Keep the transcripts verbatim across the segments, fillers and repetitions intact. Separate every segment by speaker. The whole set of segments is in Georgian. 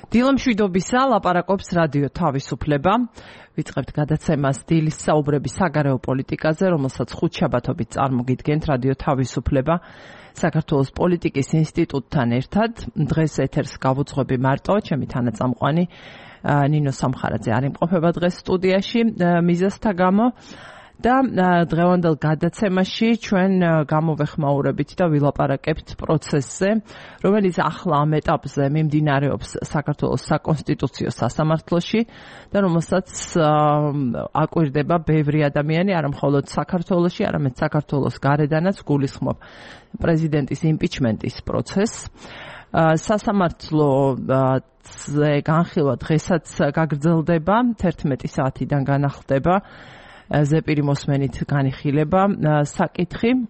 Speaker 1: დილამშვიდობისა, ლაპარაკობს რადიო თავისუფლება. ვიწყებთ გადაცემას დილის საუბრები საგარეო პოლიტიკაზე, რომელსაც ხუთშაბათობით წარმოგიდგენთ რადიო თავისუფლება საქართველოს პოლიტიკის ინსტიტუტთან ერთად. დღეს ეთერს გავუძღვები მარტო, ჩემი თანაწამყვანი ნინო სამხარაძე არ იმყოფება დღეს სტუდიაში მიზეზთა გამო. და დღევანდელ გადაცემაში ჩვენ გამოვეხმაურებით და ვილაპარაკებთ პროცესზე, რომელიც ახლა ამ ეტაპზე მიმდინარეობს საქართველოს საკონსტიტუციო სასამართლოში და რომელსაც აკვირდება ბევრი ადამიანი, არა მხოლოდ საქართველოში, არამედ საქართველოს გარედანაც გულისხმობ პრეზიდენტის იმპიჩმენტის პროცესს. სასამართლოზე განხილვა დღესაც გაგრძელდება, თერთმეტი საათიდან განახლდება ზეპირი მოსმენით განიხილება საკითხი.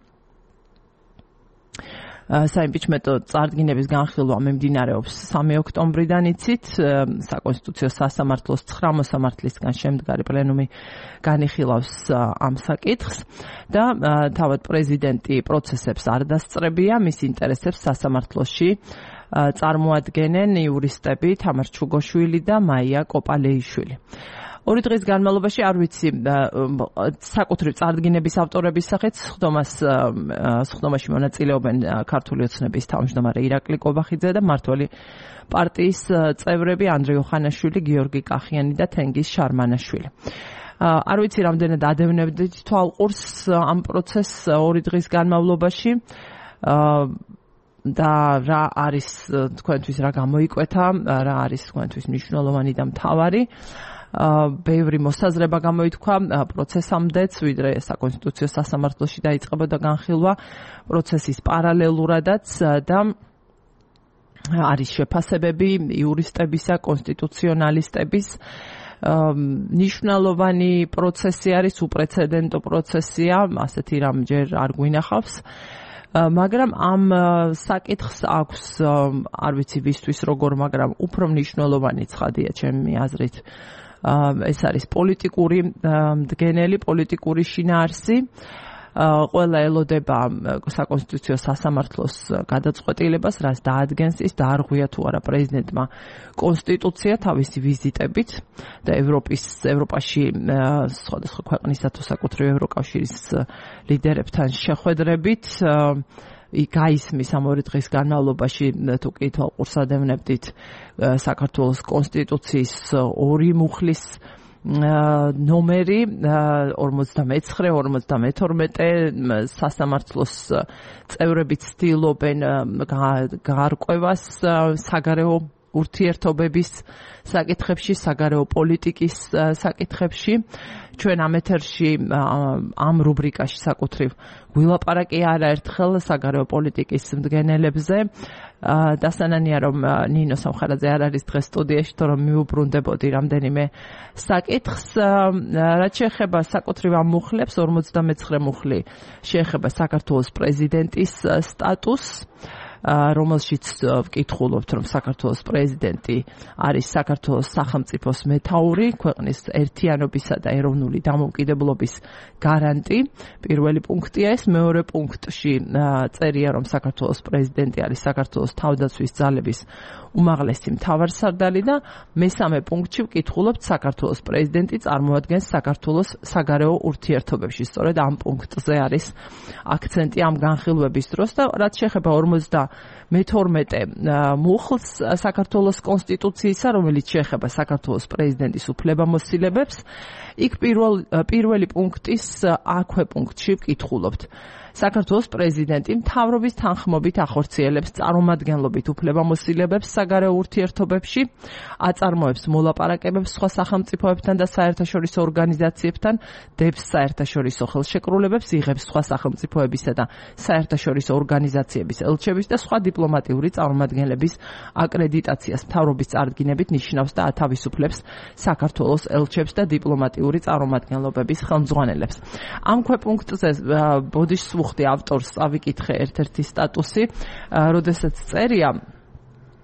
Speaker 1: საიმპიჩმენტო წარდგინების განხილვა მიმდინარეობს სამი ოქტომბრიდან იცით, საკონსტიტუციო სასამართლოს ცხრა მოსამართლისგან შემდგარი პლენუმი განიხილავს ამ საკითხს და თავად პრეზიდენტი პროცესებს არ დასწრებია, მის ინტერესებს სასამართლოში წარმოადგენენ იურისტები თამარ ჩუგოშვილი და მაია კოპალეიშვილი. ორი დღის განმავლობაში არ ვიცი საკუთრივ წარდგინების ავტორების სახით სხდომას სხდომაში მონაწილეობენ ქართული ოცნების თავმჯდომარე ირაკლი კობახიძე და მმართველი პარტიის წევრები ანდრე ოხანაშვილი, გიორგი კახიანი და თენგიზ შარმანაშვილი. არ ვიცი რამდენად ადევნებდით თვალყურს ამ პროცესს ორი დღის განმავლობაში და რა არის თქვენთვის, რა გამოიკვეთა, რა არის თქვენთვის მნიშვნელოვანი და მთავარი. ბევრი მოსაზრება გამოითქვა პროცესამდეც, ვიდრე საკონსტიტუციო სასამართლოში დაიწყებოდა განხილვა პროცესის პარალელურადაც და არის შეფასებები იურისტებისა, კონსტიტუციონალისტების. მნიშვნელოვანი პროცესი არის, უპრეცედენტო პროცესია, ასეთი რამ ჯერ არ გვინახავს. მაგრამ ამ საკითხს აქვს, არ ვიცი ვისთვის როგორ, მაგრამ უფრო მნიშვნელოვანი ცხადია ჩემი აზრით. ეს არის პოლიტიკური მდგენელი, პოლიტიკური შინაარსი. ყველა ელოდება საკონსტიტუციო სასამართლოს გადაწყვეტილებას, რაც დაადგენს ის დაარღვია თუ არა პრეზიდენტმა კონსტიტუცია თავისი ვიზიტებით და ევროპის ევროპაში სხვადასხვა ქვეყნისა თუ საკუთრივ ევროკავშირის ლიდერებთან შეხვედრებით გაისმის ამ ორი დღის განმავლობაში თუ კი თვალყურს ადევნებდით საქართველოს კონსტიტუციის ორი მუხლის ნომერი ორმოცდამეცხრე ორმოცდამეთორმეტე სასამართლოს წევრები ცდილობენ გარკვევას საგარეო ურთიერთობების საკითხებში, საგარეო პოლიტიკის საკითხებში. ჩვენ ამ ეთერში ამ რუბრიკაში საკუთრივ ვილაპარაკე არაერთხელ საგარეო პოლიტიკის მდგენელებზე. დასანანია რომ ნინო სამხარაძე არ არის დღეს სტუდიაში, თორემ მიუბრუნდებოდი რამდენიმე საკითხს. რაც შეეხება საკუთრივ ამ მუხლებს, ორმოცდამეცხრე მუხლი შეეხება საქართველოს პრეზიდენტის სტატუსს, რომელშიც ვკითხულობთ, რომ საქართველოს პრეზიდენტი არის საქართველოს სახელმწიფოს მეთაური, ქვეყნის ერთიანობისა და ეროვნული დამოუკიდებლობის გარანტი. პირველი პუნქტია ეს. მეორე პუნქტში წერია, რომ საქართველოს პრეზიდენტი არის საქართველოს თავდაცვის ძალების უმაღლესი მთავარსარდალი და მესამე პუნქტში ვკითხულობთ, საქართველოს პრეზიდენტი წარმოადგენს საქართველოს საგარეო ურთიერთობებში. სწორედ ამ პუნქტზე არის აქცენტი ამ განხილვების დროს და რაც შეეხება ორმოცდამეთორმეტე მუხლს საქართველოს კონსტიტუციისა, რომელიც შეეხება საქართველოს პრეზიდენტის უფლებამოსილებებს, იქ პირველ პირველი პუნქტის აქვე პუნქტში ვკითხულობთ. საქართველოს პრეზიდენტი მთავრობის თანხმობით ახორციელებს წარმომადგენლობით უფლებამოსილებებს საგარეო ურთიერთობებში, აწარმოებს მოლაპარაკებებს სხვა სახელმწიფოებთან და საერთაშორისო ორგანიზაციებთან, დებს საერთაშორისო ხელშეკრულებებს, იღებს სხვა სახელმწიფოებისა და საერთაშორისო ორგანიზაციების ელჩების და სხვა დიპლომატიური წარმომადგენლების აკრედიტაციას მთავრობის წარდგინებით ნიშნავს და ათავისუფლებს საქართველოს ელჩებს და დიპლომატიური წარმომადგენლობების ხელმძღვანელებს. ამ ქვეპუნქტზე ბოდიშს ვუხდი ავტორს, ავიკითხე ერთ-ერთი სტატუსი, როდესაც წერია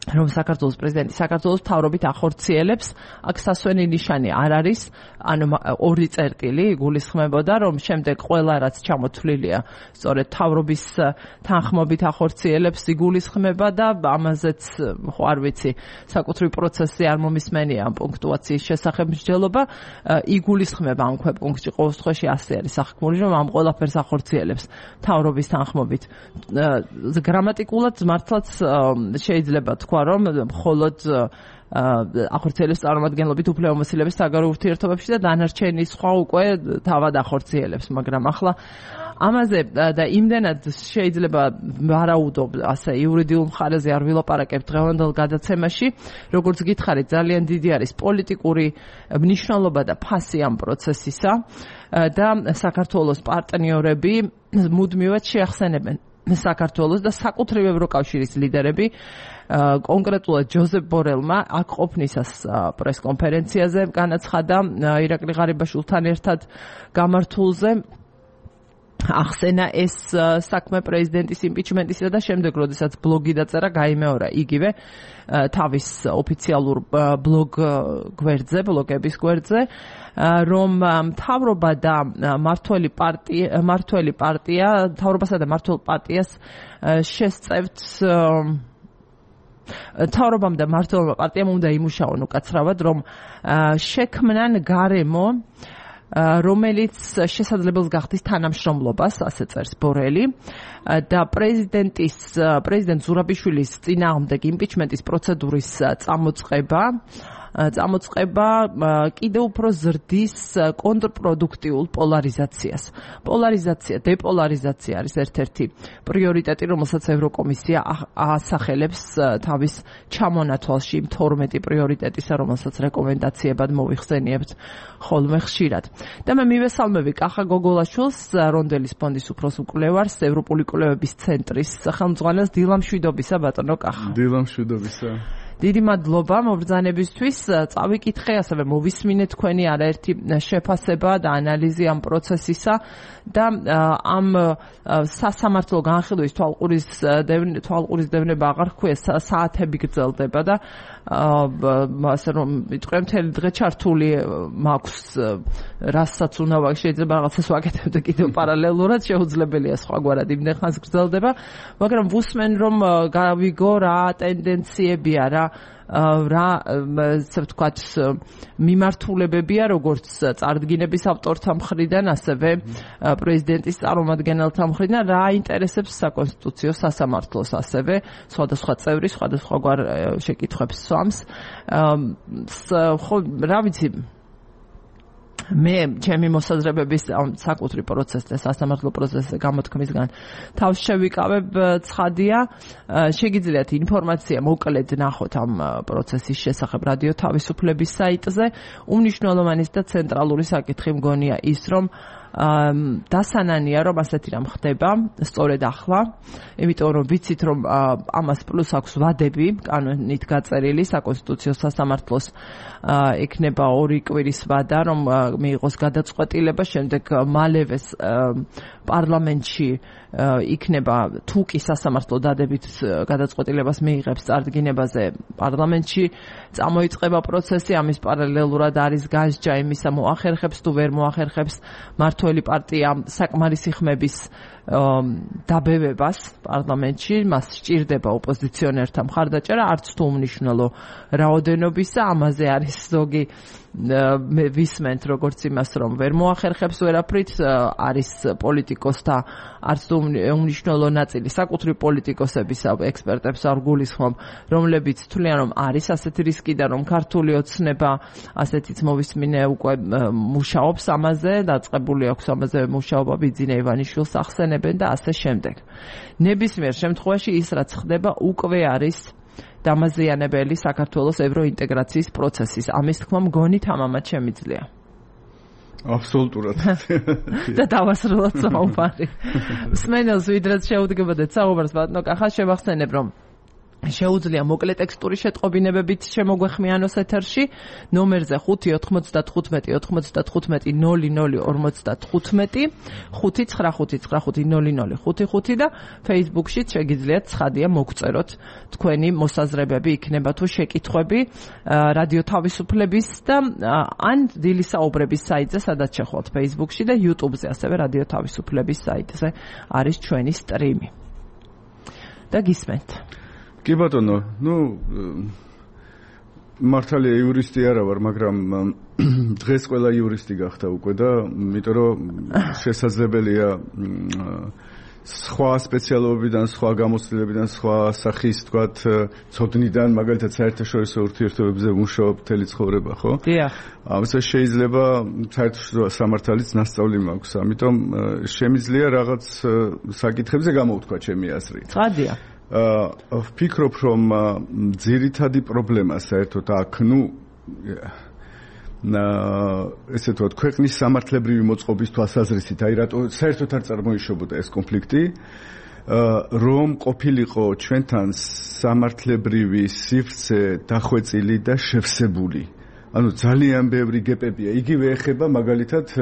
Speaker 1: რომ საქართველოს პრეზიდენტი საქართველოს მთავრობით ახორციელებს, აქ სასვენი ნიშანი არ არის, ანუ ორი წერტილი იგულისხმებოდა, რომ შემდეგ ყველა რაც ჩამოთვლილია, სწორედ მთავრობის თანხმობით ახორციელებს იგულისხმება და ამაზეც ხო არ ვიცი, საკუთრივ პროცესი არ მომისმენია ამ პუნქტუაციის შესახებ მსჯელობა, იგულისხმება ამ ქვეპუნქტში ყოველ შემთხვევაში ასე არის სახქმული, რომ ამ ყველაფერს ახორციელებს მთავრობის თანხმობით. გრამატიკულად მართლაც შეიძლება თქვა რომ მხოლოდ ახორციელებს წარმომადგენლობით უფლებამოსილების საგარეო ურთიერთობებში და დანარჩენი სხვა უკვე თავად ახორციელებს, მაგრამ ახლა ამაზე და იმდენად შეიძლება ვარაუდობ ასე იურიდიულ მხარეზე არ ვილაპარაკებ დღევანდელ გადაცემაში, როგორც გითხარით, ძალიან დიდი არის პოლიტიკური მნიშვნელობა და ფასი ამ პროცესისა და საქართველოს პარტნიორები მუდმივად შეახსენებენ საქართველოს და საკუთრივ ევროკავშირის ლიდერები კონკრეტულად ჯოზეფ ბორელმა აქ ყოფნისას პრესკონფერენციაზე განაცხადა ირაკლი ღარიბაშვილთან ერთად გამართულზე ახსენა ეს საქმე პრეზიდენტის იმპიჩმენტისა და შემდეგ როდესაც ბლოგი დაწერა გაიმეორა იგივე თავის ოფიციალურ ბლოგ გვერდზე, ბლოგების გვერდზე, რომ მთავრობა და მართველი პარტია, მართველი პარტია, მთავრობასა და მართულ პარტიას შესწევთ მთავრობამ და მართლმა პარტიამ უნდა იმუშაონ უკაცრავად, რომ შექმნან გარემო რომელიც შესაძლებელს გახდის თანამშრომლობას, ასე წერს ბორელი და პრეზიდენტის პრეზიდენტ ზურაბიშვილის წინააღმდეგ იმპიჩმენტის პროცედურის წამოწყება წამოწყება კიდევ უფრო ზრდის კონტრპროდუქტიულ პოლარიზაციას. პოლარიზაცია, დეპოლარიზაცია არის ერთ-ერთი პრიორიტეტი, რომელსაც ევროკომისია ასახელებს თავის ჩამონათვალში იმ თორმეტი პრიორიტეტისა, რომელსაც რეკომენდაციებად მოვიხსენიებთ ხოლმე ხშირად. და მე მივესალმები კახა გოგოლაშვილს, რონდელის ფონდის უფროს მკვლევარს, ევროპული კვლევების ცენტრის ხელმძღვანელს, დილა მშვიდობისა ბატონო კახა.
Speaker 2: დილა მშვიდობისა.
Speaker 1: დიდი მადლობა მობრძანებისთვის. წავიკითხე, ასევე მოვისმინე თქვენი არაერთი შეფასება და ანალიზი ამ პროცესისა და ამ სასამართლო განხილვის თვალყურის თვალყურის დევნება აღარ ხქვია, საათები გრძელდება და ასე რომ ვიტყვი მთელი დღე ჩართული მაქვს, რასაც უნდა ვაკეთო, შეიძლება რაღაცას ვაკეთებდე კიდევ პარალელურად, შეუძლებელია სხვაგვარად იმდენ ხანს გრძელდება, მაგრამ ვუსმენ რომ გავიგო რა ტენდენციებია, რა რა ასე ვთქვათ მიმართულებებია როგორც წარდგინების ავტორთა მხრიდან, ასევე პრეზიდენტის წარმომადგენელთა მხრიდან, რა აინტერესებს საკონსტიტუციო სასამართლოს, ასევე სხვადასხვა წევრი სხვადასხვაგვარ შეკითხვებს სვამს. ხო, რა ვიცი, მე ჩემი მოსაზრებების საკუთრი პროცესზე, სასამართლო პროცესზე გამოთქმისგან თავს შევიკავებ ცხადია, შეგიძლიათ ინფორმაცია მოკლედ ნახოთ ამ პროცესის შესახებ რადიო თავისუფლების საიტზე. უმნიშვნელოვანესი და ცენტრალური საკითხი მგონია ის, რომ დასანანია, რომ ასეთი რამ ხდება, სწორედ ახლა, იმიტომ რომ ვიცით, რომ ამას პლუს აქვს ვადები, კანონით გაწერილი, საკონსტიტუციო სასამართლოს ექნება ორი კვირის ვადა, რომ მიიღოს გადაწყვეტილება, შემდეგ მალევეს პარლამენტში იქნება თუ კი სასამართლო დადებით გადაწყვეტილებას მიიღებს წარდგინებაზე პარლამენტში, წამოიწყება პროცესი, ამის პარალელურად არის გასჯა იმისა მოახერხებს თუ ვერ მოახერხებს მართველი პარტია საკმარისი ხმების დაბევებას პარლამენტში, მას სჭირდება ოპოზიციონერთა მხარდაჭერა, არც თუ უმნიშვნელო რაოდენობისა, ამაზე არის ზოგი მე ვისმენთ როგორც იმას, რომ ვერ მოახერხებს ვერაფრით, არის პოლიტიკოსთა არც თუ უმნიშვნელო ნაწილი საკუთრივ პოლიტიკოსებისა, ექსპერტებს არ გულისხმობ, რომლებიც თვლიან, რომ არის ასეთი რისკი და რომ ქართული ოცნება ასეთიც მოვისმინე უკვე მუშაობს ამაზე, დაწყებული აქვს ამაზე მუშაობა, ბიძინა ივანიშვილს ახსენებენ და ასე შემდეგ. ნებისმიერ შემთხვევაში ის რაც ხდება უკვე არის დამაზიანებელი საქართველოს ევროინტეგრაციის პროცესის. ამის თქმა მგონი თამამად შემიძლია.
Speaker 2: აბსოლუტურად.
Speaker 1: და დავასრულოთ საუბარი. მსმენელს ვიდრეც შეუდგებოდეთ საუბარს ბატონო კახა, შევახსენებ რომ შეუძლია მოკლე ტექსტური შეტყობინებებით შემოგვეხმიანოს ეთერში ნომერზე ხუთი ოთხმოცდათხუთმეტი ოცდათხუთმეტი ნოლი ნოლი ორმოცდათხუთმეტი ხუთი ცხრა ხუთი ცხრა ხუთი ნოლი ნოლი ხუთი ხუთი და Facebook-შიც შეგიძლიათ ცხადია მოგწეროთ თქვენი მოსაზრებები იქნება თუ შეკითხვები რადიო თავისუფლების და ან დილის საუბრების საიტზე სადაც შეხვალთ Facebook-ში და YouTube-ზე ასევე რადიო თავისუფლების საიტზე არის ჩვენი სტრიმი და გისმენთ
Speaker 2: კი ბატონო, ну მართალია იურისტი არა ვარ, მაგრამ დღეს ყველა იურისტი გახდა უკვე და იმიტომ რომ შესაძლებელია სხვა სპეციალობებიდან, სხვა გამოცდილებიდან, სხვა სახის თქვათ ცოდნიდან, მაგალითად საერთაშორისო ურთიერთობებზე მუშაობ მთელი ცხოვრება, ხო?
Speaker 1: დიახ.
Speaker 2: ამასაც შეიძლება საერთაშორისო სამართალიც ნასწავლი მაქვს, ამიტომ შემიძლია რაღაც საკითხებზე გამოვთქვა ჩემი აზრი.
Speaker 1: ცხადია.
Speaker 2: აა ვფიქრობ რომ ძირითადი პრობლემა საერთოდ აქ ნუ ესე თქვა ქვეყნის სამართლებრივი მოწყობის თვალსაზრისით აი რატო საერთოდ არ წარმოიშობოდა ეს კონფლიქტი რომ ყოფილიყო ჩვენთან სამართლებრივი სივრცე დახვეწილი და შევსებული ანუ ძალიან ბევრი გეპებია იგივე ეხება მაგალითად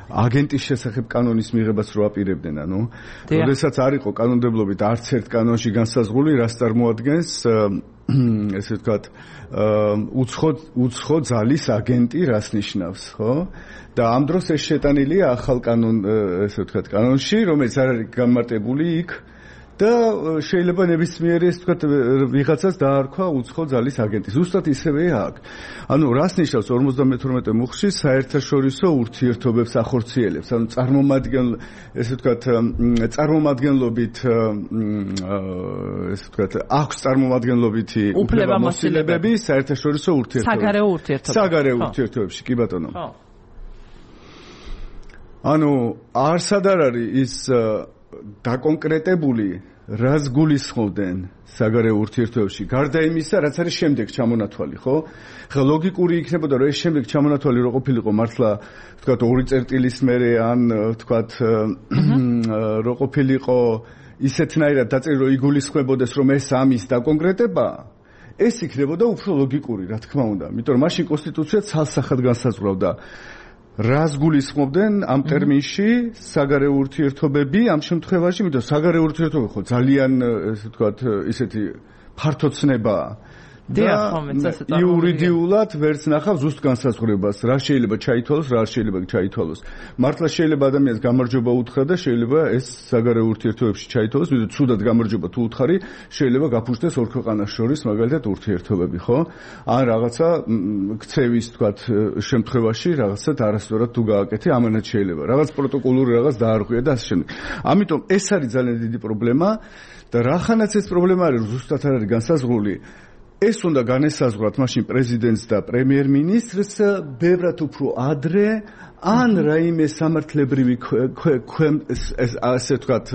Speaker 2: აგენტის შესახებ კანონის მიღებას რო აპირებდნენ, ანუ, როდესაც არ იყო კანონმდებლობით არც ერთ კანონში განსაზღვრული, რას წარმოადგენს, ესე ვთქვათ, უცხო უცხო ძალის აგენტი რას ნიშნავს, ხო? და ამ დროს ეს შეტანილია ახალ კანონ, ესე ვთქვათ, კანონში, რომელიც არ არის განმარტებული იქ და შეიძლება ნებისმიერი ეს ვთქვათ ვიღაცას დაარქვა უცხო ძალის აგენტი. ზუსტად ისევეა აქ. ანუ რას ნიშნავს ორმოცდამეთორმეტე მუხლში საერთაშორისო ურთიერთობებს ახორციელებს. ანუ წარმომადგენელ ესე ვთქვათ წარმომადგენლობით ესე ვთქვათ აქვს წარმომადგენლობითი უფლებამოსილებები საერთაშორისო ურთიერთობებში.
Speaker 1: საგარეო ურთიერთობებში.
Speaker 2: საგარეო ურთიერთობებში, კი ბატონო. ხო. ანუ არსად არ არის ის დაკონკრეტებული რას გულისხმობდნენ საგარეო ურთიერთობებში გარდა იმისა რაც არის შემდეგ ჩამონათვალი ხო ხა ლოგიკური იქნებოდა რომ ეს შემდეგ ჩამონათვალი რო ყოფილიყო მართლა ვთქვათ ორი წერტილის მერე ან ვთქვათ რო ყოფილიყო ისეთნაირად დაწერილი რომ იგულისხმებოდეს რომ ეს ამის დაკონკრეტება ეს იქნებოდა უფრო ლოგიკური რა თქმა უნდა იმიტომ რომ მაშინ კონსტიტუცია ცალსახად განსაზღვრავდა რას გულისხმობდნენ ამ ტერმინში საგარეო ურთიერთობები ამ შემთხვევაში, იმიტომ საგარეო ურთიერთობები ხო ძალიან ესე ვთქვათ ისეთი ფართოცნებაა. და იურიდიულად ვერც ნახავს ზუსტ განსაზღვრებას, რა შეიძლება ჩაითვალოს, რა არ შეიძლება ჩაითვალოს. მართლა შეიძლება ადამიანს გამარჯვება უთხრა და შეიძლება ეს საგარეო ურთიერთობებში ჩაითვალოს, ვიდრე ცუდად გამარჯვება თუ უთხარი, შეიძლება გაფუჭდეს ორ ქვეყანას შორის მაგალითად ურთიერთობები, ხო? ან რაღაცა ქცევის თქვათ შემთხვევაში რაღაცად არასწორად თუ გააკეთე, ამანაც შეიძლება. რაღაც პროტოკოლური რაღაც დაარღვია და ასე შემდეგ. ამიტომ ეს არის ძალიან დიდი პრობლემა და რახანაც ეს პრობლემა არის, ზუსტად არ არის განსაზღვრული. ეს უნდა განესაზღვრათ მაშინ პრეზიდენტს და პრემიერ-მინისტრს ბევრად უფრო ადრე ან რაიმე სამართლებრივი ასე ვთქვათ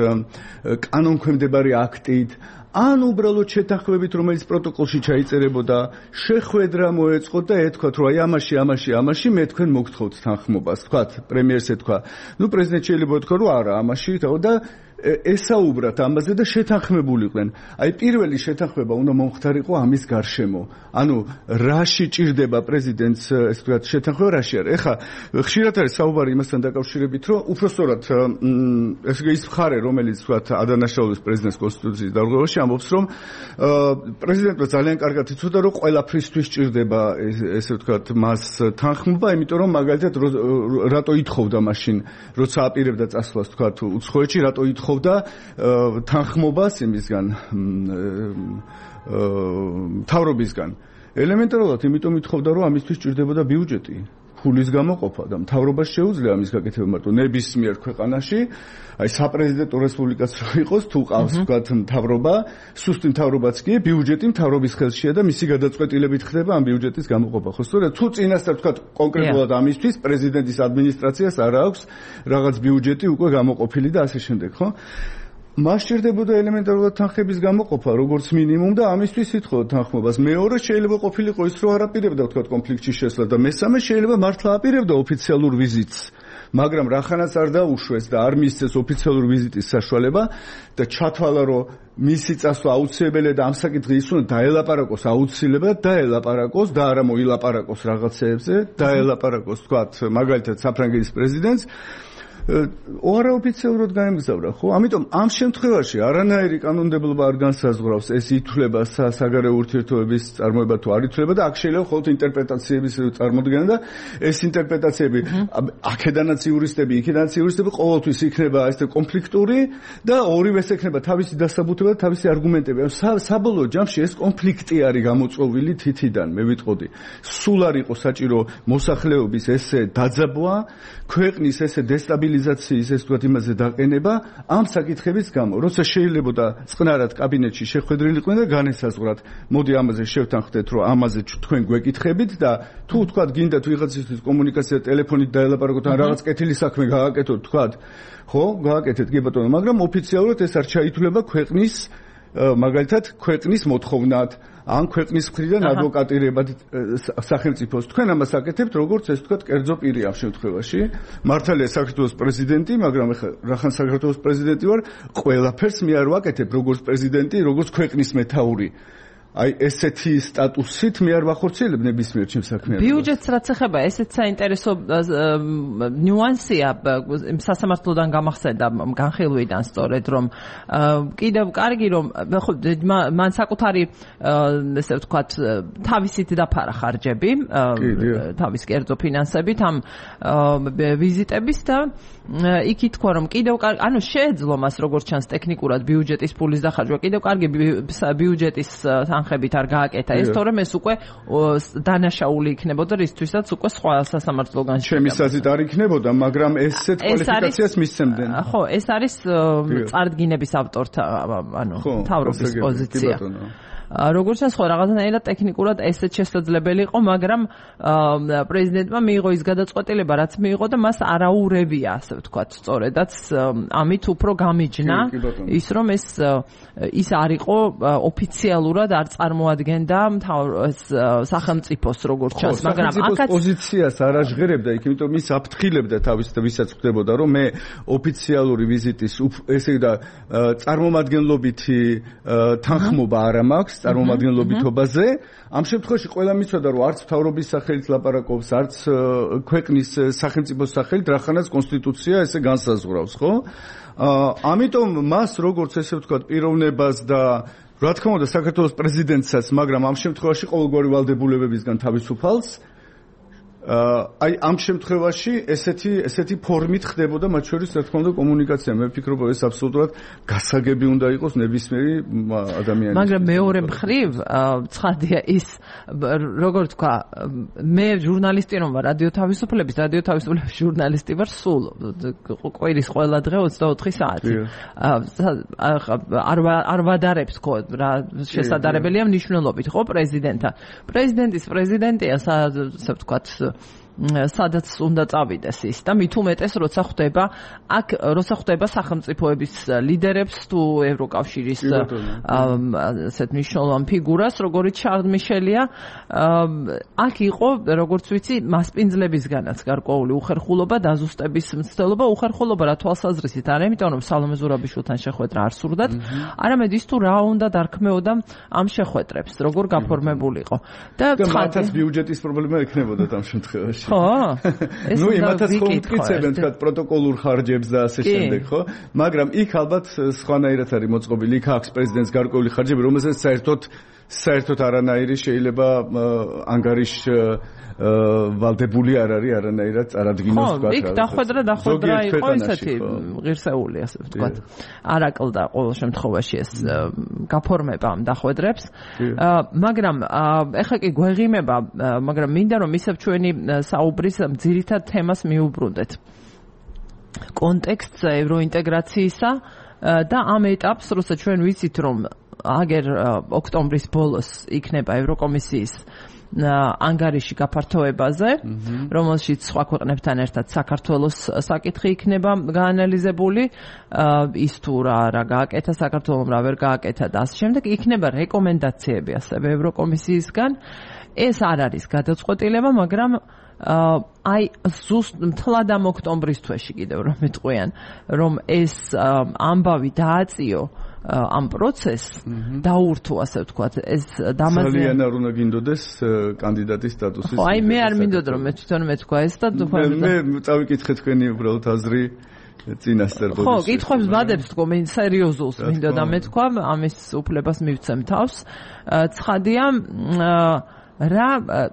Speaker 2: კანონქვემდებარი აქტით ან უბრალოდ შეთანხმებით რომელიც პროტოკოლში ჩაიწერებოდა შეხვედრა მოეწყოთ და ეთქვათ რომ აი ამაში ამაში ამაში მე თქვენ მოგთხოვთ თანხმობას თქვათ პრემიერს ეთქვა ნუ პრეზიდენტ შეიძლება ეთქვა რომ არა ამაში და ესაუბრათ ამაზე და შეთანხმებულიყვნენ. აი პირველი შეთანხმება უნდა მომხდარიყო ამის გარშემო. ანუ რაში ჭირდება პრეზიდენტს ესე ვთქვათ შეთანხმება რაში არის. ეხლა ხშირად არის საუბარი იმასთან დაკავშირებით, რომ უпростоრად ესე იგი ის მხარე, რომელიც ვთქვათ ადანაშაულის პრეზიდენტის კონსტიტუციის დარღვევაში ამბობს, რომ პრეზიდენტმა ძალიან კარგად იცოდა, რომ ყველაფრისთვის ჭირდება ესე ვთქვათ მას თანხმობა, იმიტომ რომ მაგალითად რატო ითხოვდა მაშინ, როცა აპირებდა წასვლას ვთქვათ უცხოეთში, რატო ითხოვდა ხოვდა თანხმობას იმისგან მთავრობისგან ელემენტარულად იმიტომ ითხოვდა რომ ამისთვის ჭირდებოდა ბიუჯეტი ფულის გამოყოფა და მთავრობას შეუძლია ამის გაკეთება მარტო ნებისმიერ ქვეყანაში აი საპრეზიდენტო რესპუბლიკაც რო იყოს თუ ყავს ვთქვათ მთავრობა სუსტი მთავრობაც კი ბიუჯეტი მთავრობის ხელშია და მისი გადაწყვეტილებით ხდება ამ ბიუჯეტის გამოყოფა ხო სწორედ თუ წინასწარ ვთქვათ კონკრეტულად ამისთვის პრეზიდენტის ადმინისტრაციას არ აქვს რაღაც ბიუჯეტი უკვე გამოყოფილი და ასე შემდეგ ხო მას ჭირდებოდა ელემენტარულად თანხების გამოყოფა როგორც მინიმუმ და ამისთვის ითხოვდა თანხმობას მეორე შეიძლება ყოფილიყო ის რომ არ აპირებდა ვთქვათ კონფლიქტში შესვლა და მესამე შეიძლება მართლა აპირებდა ოფიციალურ ვიზიტს მაგრამ რახანაც არ დაუშვეს და არ მისცეს ოფიციალური ვიზიტის საშუალება და ჩათვალა რომ მისი წასვლა აუცილებელია და ამ საკითხი ის უნდა დაელაპარაკოს აუცილებლად დაელაპარაკოს და არა მოილაპარაკოს რაღაცეებზე დაელაპარაკოს თქვათ მაგალითად საფრანგეთის პრეზიდენტს არაოფიციალურად გაემგზავრა ხო? ამიტომ ამ შემთხვევაში არანაირი კანონმდებლობა არ განსაზღვრავს ეს ითვლება საგარეო ურთიერთობების წარმოება თუ არ ითვლება და აქ შეიძლება მხოლოდ ინტერპრეტაციების წარმოდგენა და ეს ინტერპრეტაციები აქედანაც იურისტები, იქედანაც იურისტები ყოველთვის იქნება ეს კონფლიქტური და ორივეს ექნება თავისი დასაბუთება და თავისი არგუმენტები. საბოლოო ჯამში ეს კონფლიქტი არის გამოწვეული თითიდან, მე ვიტყოდი. სულ არ იყო საჭირო მოსახლეობის ესე დაძაბვა, ქვეყნის ესე დესტაბილიზაციის ეს თქვათ იმაზე დაყენება ამ საკითხების გამო. როცა შეიძლება და წყნარად კაბინეტში შეხვედრილიყვნენ და განესაზღვრათ, მოდი ამაზე შევთანხმდეთ, რომ ამაზე თქვენ გვეკითხებით და თუ თქვათ გინდათ ვიღაცისთვის კომუნიკაცია ტელეფონით დაელაპარაკოთ ან რაღაც კეთილი საქმე გააკეთოთ, თქვათ, ხო, გააკეთეთ კი ბატონო, მაგრამ ოფიციალურად ეს არ ჩაითვლება ქვეყნის მაგალითად ქვეყნის მოთხოვნად ან ქვეყნის მხრიდან ადვოკატირებად სახელმწიფოს. თქვენ ამას აკეთებთ როგორც ეს თქვათ კერძო პირი ამ შემთხვევაში. მართალია საქართველოს პრეზიდენტი, მაგრამ ეხლა რახან საქართველოს პრეზიდენტი ვარ, ყველაფერს მე არ ვაკეთებ როგორც პრეზიდენტი, როგორც ქვეყნის მეთაური. აი ესეთი სტატუსით მე არ ვახორციელებ ნებისმიერ ჩემს საქმიანობას.
Speaker 1: ბიუჯეტს რაც ეხება, ესეც საინტერესო ნიუანსია სასამართლოდან გამახსენდა განხილვიდან სწორედ რომ კიდევ კარგი რომ ხო მან საკუთარი ესე ვთქვათ თავისით დაფარა ხარჯები თავის კერძო ფინანსებით ამ ვიზიტების და იქ ითქვა რომ კიდევ ანუ შეეძლო მას როგორც ჩანს ტექნიკურად ბიუჯეტის ფულის დახარჯვა კიდევ კარგი ბიუჯეტის თანხებით არ გააკეთა ეს თორემ ეს უკვე დანაშაული იქნებოდა რისთვისაც უკვე სხვა სასამართლოგან
Speaker 2: ჩემი აზრით არ იქნებოდა მაგრამ ესეთ კვალიფიკაციას მისცემდნენ
Speaker 1: ხო ეს არის წარდგინების ავტორთა ანუ თავრობის პოზიცია როგორც ჩანს ხო რაღაცნაირად ტექნიკურად ესეც შესაძლებელი იყო მაგრამ პრეზიდენტმა მიიღო ის გადაწყვეტილება რაც მიიღო და მას არაურევია ასე ვთქვათ სწორედაც ამით უფრო გამიჯნა ის რომ ეს ის არ იყო ოფიციალურად არ წარმოადგენდა სახელმწიფოს როგორც ჩანს მაგრამ
Speaker 2: აქაც პოზიციას არ აჟღერებდა იქ იმიტომ ის აფრთხილებდა თავის და ვისაც ხვდებოდა რომ მე ოფიციალური ვიზიტის ესე და წარმომადგენლობითი თანხმობა არ მაქვს წარმომადგენლობითობაზე ამ შემთხვევაში ყველა მიცოდა რომ არც მთავრობის სახელით ლაპარაკობს არც ქვეყნის სახელმწიფოს სახელით რახანაც კონსტიტუცია ესე განსაზღვრავს ხო ამიტომ მას როგორც ესე ვთქვათ პიროვნებას და რა თქმა უნდა საქართველოს პრეზიდენტსაც მაგრამ ამ შემთხვევაში ყოველგვარი ვალდებულებებისგან თავისუფალს აი ამ შემთხვევაში ესეთი ესეთი ფორმით ხდებოდა მათ შორის რა თქმა უნდა კომუნიკაცია მე ვფიქრობ ეს აბსოლუტურად გასაგები უნდა იყოს ნებისმიერი ადამიანის
Speaker 1: მაგრამ მეორე მხრივ ცხადია ის როგორ თქვა მე ჟურნალისტი რომ ვარ რადიო თავისუფლების რადიო თავისუფლების ჟურნალისტი ვარ სულ კვირის ყველა დღე ოცდაოთხი საათი არ არ ვადარებს ხო რა შესაძლებელია მნიშვნელობით ხო პრეზიდენტა პრეზიდენტის პრეზიდენტია ასე ვთქვათ სადაც უნდა წავიდეს ის და მით უმეტეს როცა ხვდება აქ როცა ხვდება სახელმწიფოების ლიდერებს თუ ევროკავშირის ასეთ მნიშვნელოვან ფიგურას როგორიც შარლ მიშელია აქ იყო როგორც ვიცი მასპინძლებისგანაც გარკვეული უხერხულობა დაზუსტების მცდელობა უხერხულობა რა თვალსაზრისით არა იმიტომ რომ სალომე ზურაბიშვილთან შეხვედრა არ სურდათ არამედ ის თუ რა უნდა დარქმეოდა ამ შეხვედრებს როგორ გაფორმებულიყო და
Speaker 2: მათაც ბიუჯეტის პრობლემა ექნებოდა ამ შემთხვევაში
Speaker 1: ხო
Speaker 2: ნუ იმათაც ხო მტკიცებენ თქვა პროტოკოლურ ხარჯებს და ასე შემდეგ ხო მაგრამ იქ ალბათ სხვანაირად არის მოწყობილი იქ აქვს პრეზიდენტს გარკვეული ხარჯები რომელსაც საერთოდ საერთოდ არანაირი შეიძლება ანგარიშ ვალდებული არ არის არანაირად წარადგინოს თქვა
Speaker 1: იქ დახვედრა დახვედრა იყო ესეთი ღირსეული ასე ვთქვათ არაკლ და ყოველ შემთხვევაში ეს გაფორმება ამ დახვედრებს მაგრამ ეხლა კი გვეღიმება მაგრამ მინდა რომ ისევ ჩვენი საუბრის ძირითად თემას მიუბრუნდეთ კონტექსტს ევროინტეგრაციისა და ამ ეტაპს როცა ჩვენ ვიცით რომ აგერ ოქტომბრის ბოლოს იქნება ევროკომისიის ანგარიში გაფართოებაზე, რომელშიც სხვა ქვეყნებთან ერთად საქართველოს საკითხი იქნება გაანალიზებული, ის თუ რა რა გააკეთა საქართველომ, რა ვერ გააკეთა და ასე შემდეგ, იქნება რეკომენდაციები ასევე ევროკომისიისგან. ეს არ არის გადაწყვეტილება, მაგრამ აი ზუსტ მთლად ამ ოქტომბრის თვეში კიდევ რომ მეტყვიან რომ ეს ამბავი დააწიო ამ პროცესს დაურთო ასე ვთქვათ ეს დამაზიანებელი
Speaker 2: ძალიან არ უნდა გინდოდეს კანდიდატის სტატუსის
Speaker 1: ხო აი მე არ მინდოდა რომ მე თვითონ მეთქვა ეს და
Speaker 2: მე წავიკითხე თქვენი უბრალოდ აზრი წინასწარ
Speaker 1: ხო კითხვებს ვადებს თქო მე სერიოზულს მინდოდა მეთქვა ამის უფლებას მივცემ თავს ცხადია რა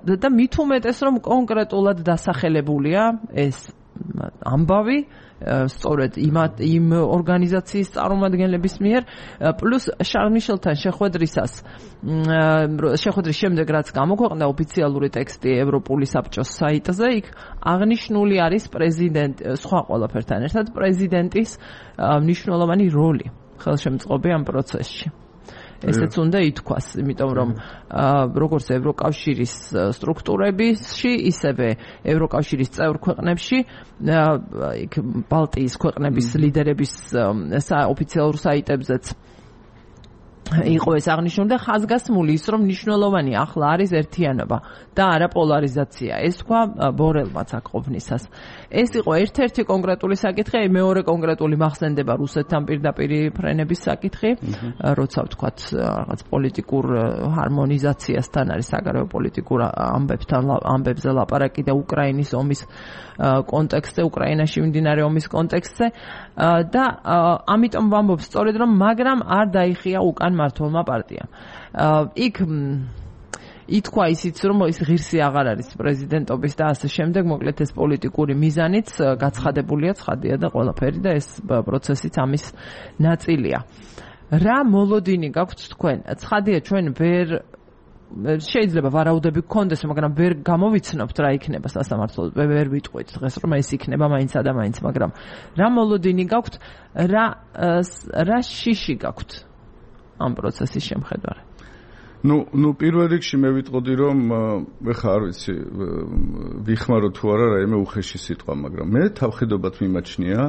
Speaker 1: და მით უმეტეს რომ კონკრეტულად დასახელებულია ეს ამბავი სწორედ იმ იმ ორგანიზაციის წარმომადგენლების მიერ პლუს შარლ მიშელთან შეხვედრისას შეხვედრის შემდეგ რაც გამოქვეყნდა ოფიციალური ტექსტი ევროპული საბჭოს საიტზე იქ აღნიშნული არის პრეზიდენტ სხვა ყველაფერთან ერთად პრეზიდენტის მნიშვნელოვანი როლი ხელშემწყობი ამ პროცესში ესეც უნდა ითქვას, იმიტომ რომ როგორც ევროკავშირის სტრუქტურებში, ისევე ევროკავშირის წევრ ქვეყნებში, იქ ბალტიის ქვეყნების ლიდერების ოფიციალურ საიტებზეც იყო ეს აღნიშნული და ხაზგასმული ის რომ მნიშვნელოვანი ახლა არის ერთიანობა და არა პოლარიზაცია. ეს თქვა ბორელმაც აქ ყოფნისას. ეს იყო ერთ-ერთი კონკრეტული საკითხი, მეორე კონკრეტული მახსენდება რუსეთთან პირდაპირი ფრენების საკითხი, როცა ვთქვათ რაღაც პოლიტიკურ ჰარმონიზაციასთან არის საგარეო პოლიტიკურ ამბებთან ამბებზე ლაპარაკი და უკრაინის ომის კონტექსტზე, უკრაინაში მიმდინარე ომის კონტექსტზე და ამიტომ ვამბობ სწორედ რომ მაგრამ არ დაიხია უკან მართლმა პარტიამ. იქ ითქვა ისიც რომ ის ღირსი აღარ არის პრეზიდენტობის და ასე შემდეგ, მოკლედ ეს პოლიტიკური მიზანიც გაცხადებულია, ცხადია და ყველაფერი და ეს პროცესიც ამის ნაწილია. რა მოლოდინი გაქვთ თქვენ? ცხადია ჩვენ ვერ შეიძლება ვარაუდები გქონდეს, მაგრამ ვერ გამოვიცნობთ რა იქნება სასამართლო, ვერ ვიტყვით დღეს რომ ეს იქნება მაინც და მაინც, მაგრამ რა მოლოდინი გაქვთ, რა რა შიში გაქვთ ამ პროცესის შემხედარე?
Speaker 2: ნუ ნუ პირველ რიგში მე ვიტყოდი რომ ეხა არ ვიცი ვიხმარო თუ არა რაიმე უხეში სიტყვა, მაგრამ მე თავხედობად მიმაჩნია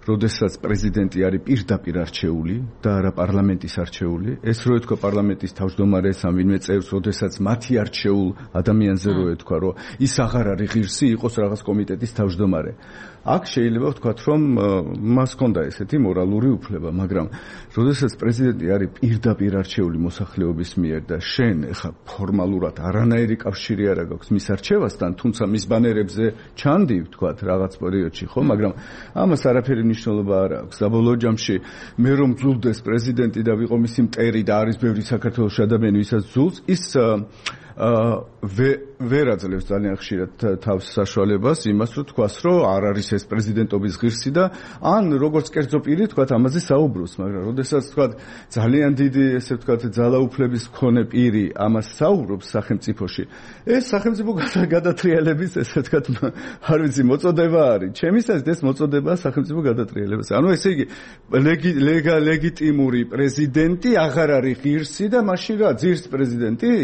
Speaker 2: როდესაც პრეზიდენტი არის პირდაპირ არჩეული და არა პარლამენტის არჩეული, ეს რო ეთქვა პარლამენტის თავმჯდომარეს ან ვინმე წევრს, როდესაც მათი არჩეულ ადამიანზე რო ეთქვა, რომ ის აღარ არის ღირსი, იყოს რაღაც კომიტეტის თავმჯდომარე. აქ შეიძლება ვთქვათ, რომ მას ჰქონდა ესეთი მორალური უფლება, მაგრამ როდესაც პრეზიდენტი არის პირდაპირ არჩეული მოსახლეობის მიერ და შენ ეხა ფორმალურად არანაირი კავშირი არ აქვს მის არჩევასთან, თუმცა მის ბანერებზე ჩანდი, ვთქვათ, რაღაც პერიოდში, ხო, მაგრამ ამას არაფერი მნიშვნელობა არ აქვს. საბოლოო ჯამში მე რომ ძულდეს პრეზიდენტი და ვიყო მისი მტერი და არის ბევრი საქართველოში ადამიანი, ვისაც ძულს, ის ვერ აძლევს ძალიან ხშირად თავს საშუალებას იმას, რომ თქვას, რომ არ არის ეს პრეზიდენტობის ღირსი და ან როგორც კერძო პირი თქვათ ამაზე საუბრობს, მაგრამ როდესაც თქვათ ძალიან დიდი ესე ვთქვათ ძალაუფლების მქონე პირი ამას საუბრობს სახელმწიფოში, ეს სახელმწიფო გადატრიალების ესე ვთქვათ არ ვიცი მოწოდება არის. ჩემისას ეს მოწოდებაა სახელმწიფო გადატრიალებას. ანუ ესე იგი ლეგიტიმური პრეზიდენტი აღარ არის ღირსი და მაშინ რა ძირს პრეზიდენტი?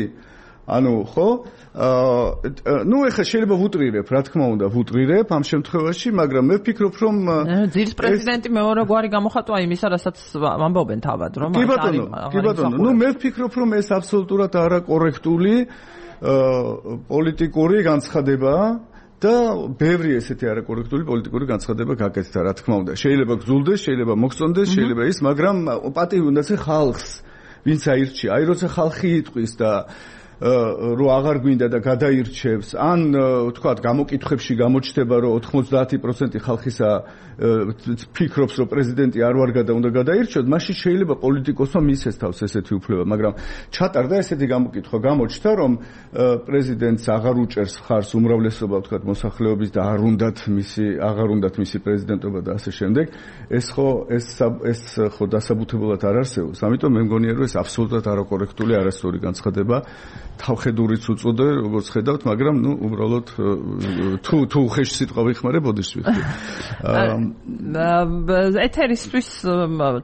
Speaker 2: ანუ ხო ნუ ეხლა შეიძლება ვუტრირებ, რა თქმა უნდა ვუტრირებ ამ შემთხვევაში, მაგრამ მე ვფიქრობ რომ
Speaker 1: ძირს პრეზიდენტი მეორე გვარი გამოხატვა იმისა, რასაც ამბობენ თავად, რომ
Speaker 2: კი ბატონო, კი ბატონო, ნუ მე ვფიქრობ რომ ეს აბსოლუტურად არაკორექტული პოლიტიკური განცხადებაა და ბევრი ესეთი არაკორექტული პოლიტიკური განცხადება გაკეთდა, რა თქმა უნდა. შეიძლება გძულდეს, შეიძლება მოგწონდეს, შეიძლება ის, მაგრამ პატივი უნდა წე ხალხს, ვინც აირჩია. აი როცა ხალხი იტყვის და რო აღარ გვინდა და გადაირჩევს, ან ვთქვათ, გამოკითხვებში გამოჩნდება, რომ ოთხმოცდაათი პროცენტი ხალხისა ფიქრობს, რომ პრეზიდენტი არ ვარ გადა უნდა გადაირჩიოთ, მაშინ შეიძლება პოლიტიკოსმა მისცეს თავს ესეთი უფლება, მაგრამ ჩატარდა ესეთი გამოკითხვა, გამოჩნდა, რომ პრეზიდენტს აღარ უჭერს ხარს უმრავლესობა, ვთქვათ, მოსახლეობის და არ უნდათ მისი აღარ უნდათ მისი პრეზიდენტობა და ასე შემდეგ. ეს ხო ეს ეს ხო დასაბუთებულად არ არსებობს. ამიტომ მე მგონია, რომ ეს აბსოლუტურად არაკორექტული არასწორი განცხადება თავხედურიც უწოდე, როგორც ხედავთ, მაგრამ ნუ უბრალოდ თუ თუ ხეში სიტყვა ვიხმარებოდეს ვიხდი.
Speaker 1: ეთერისთვის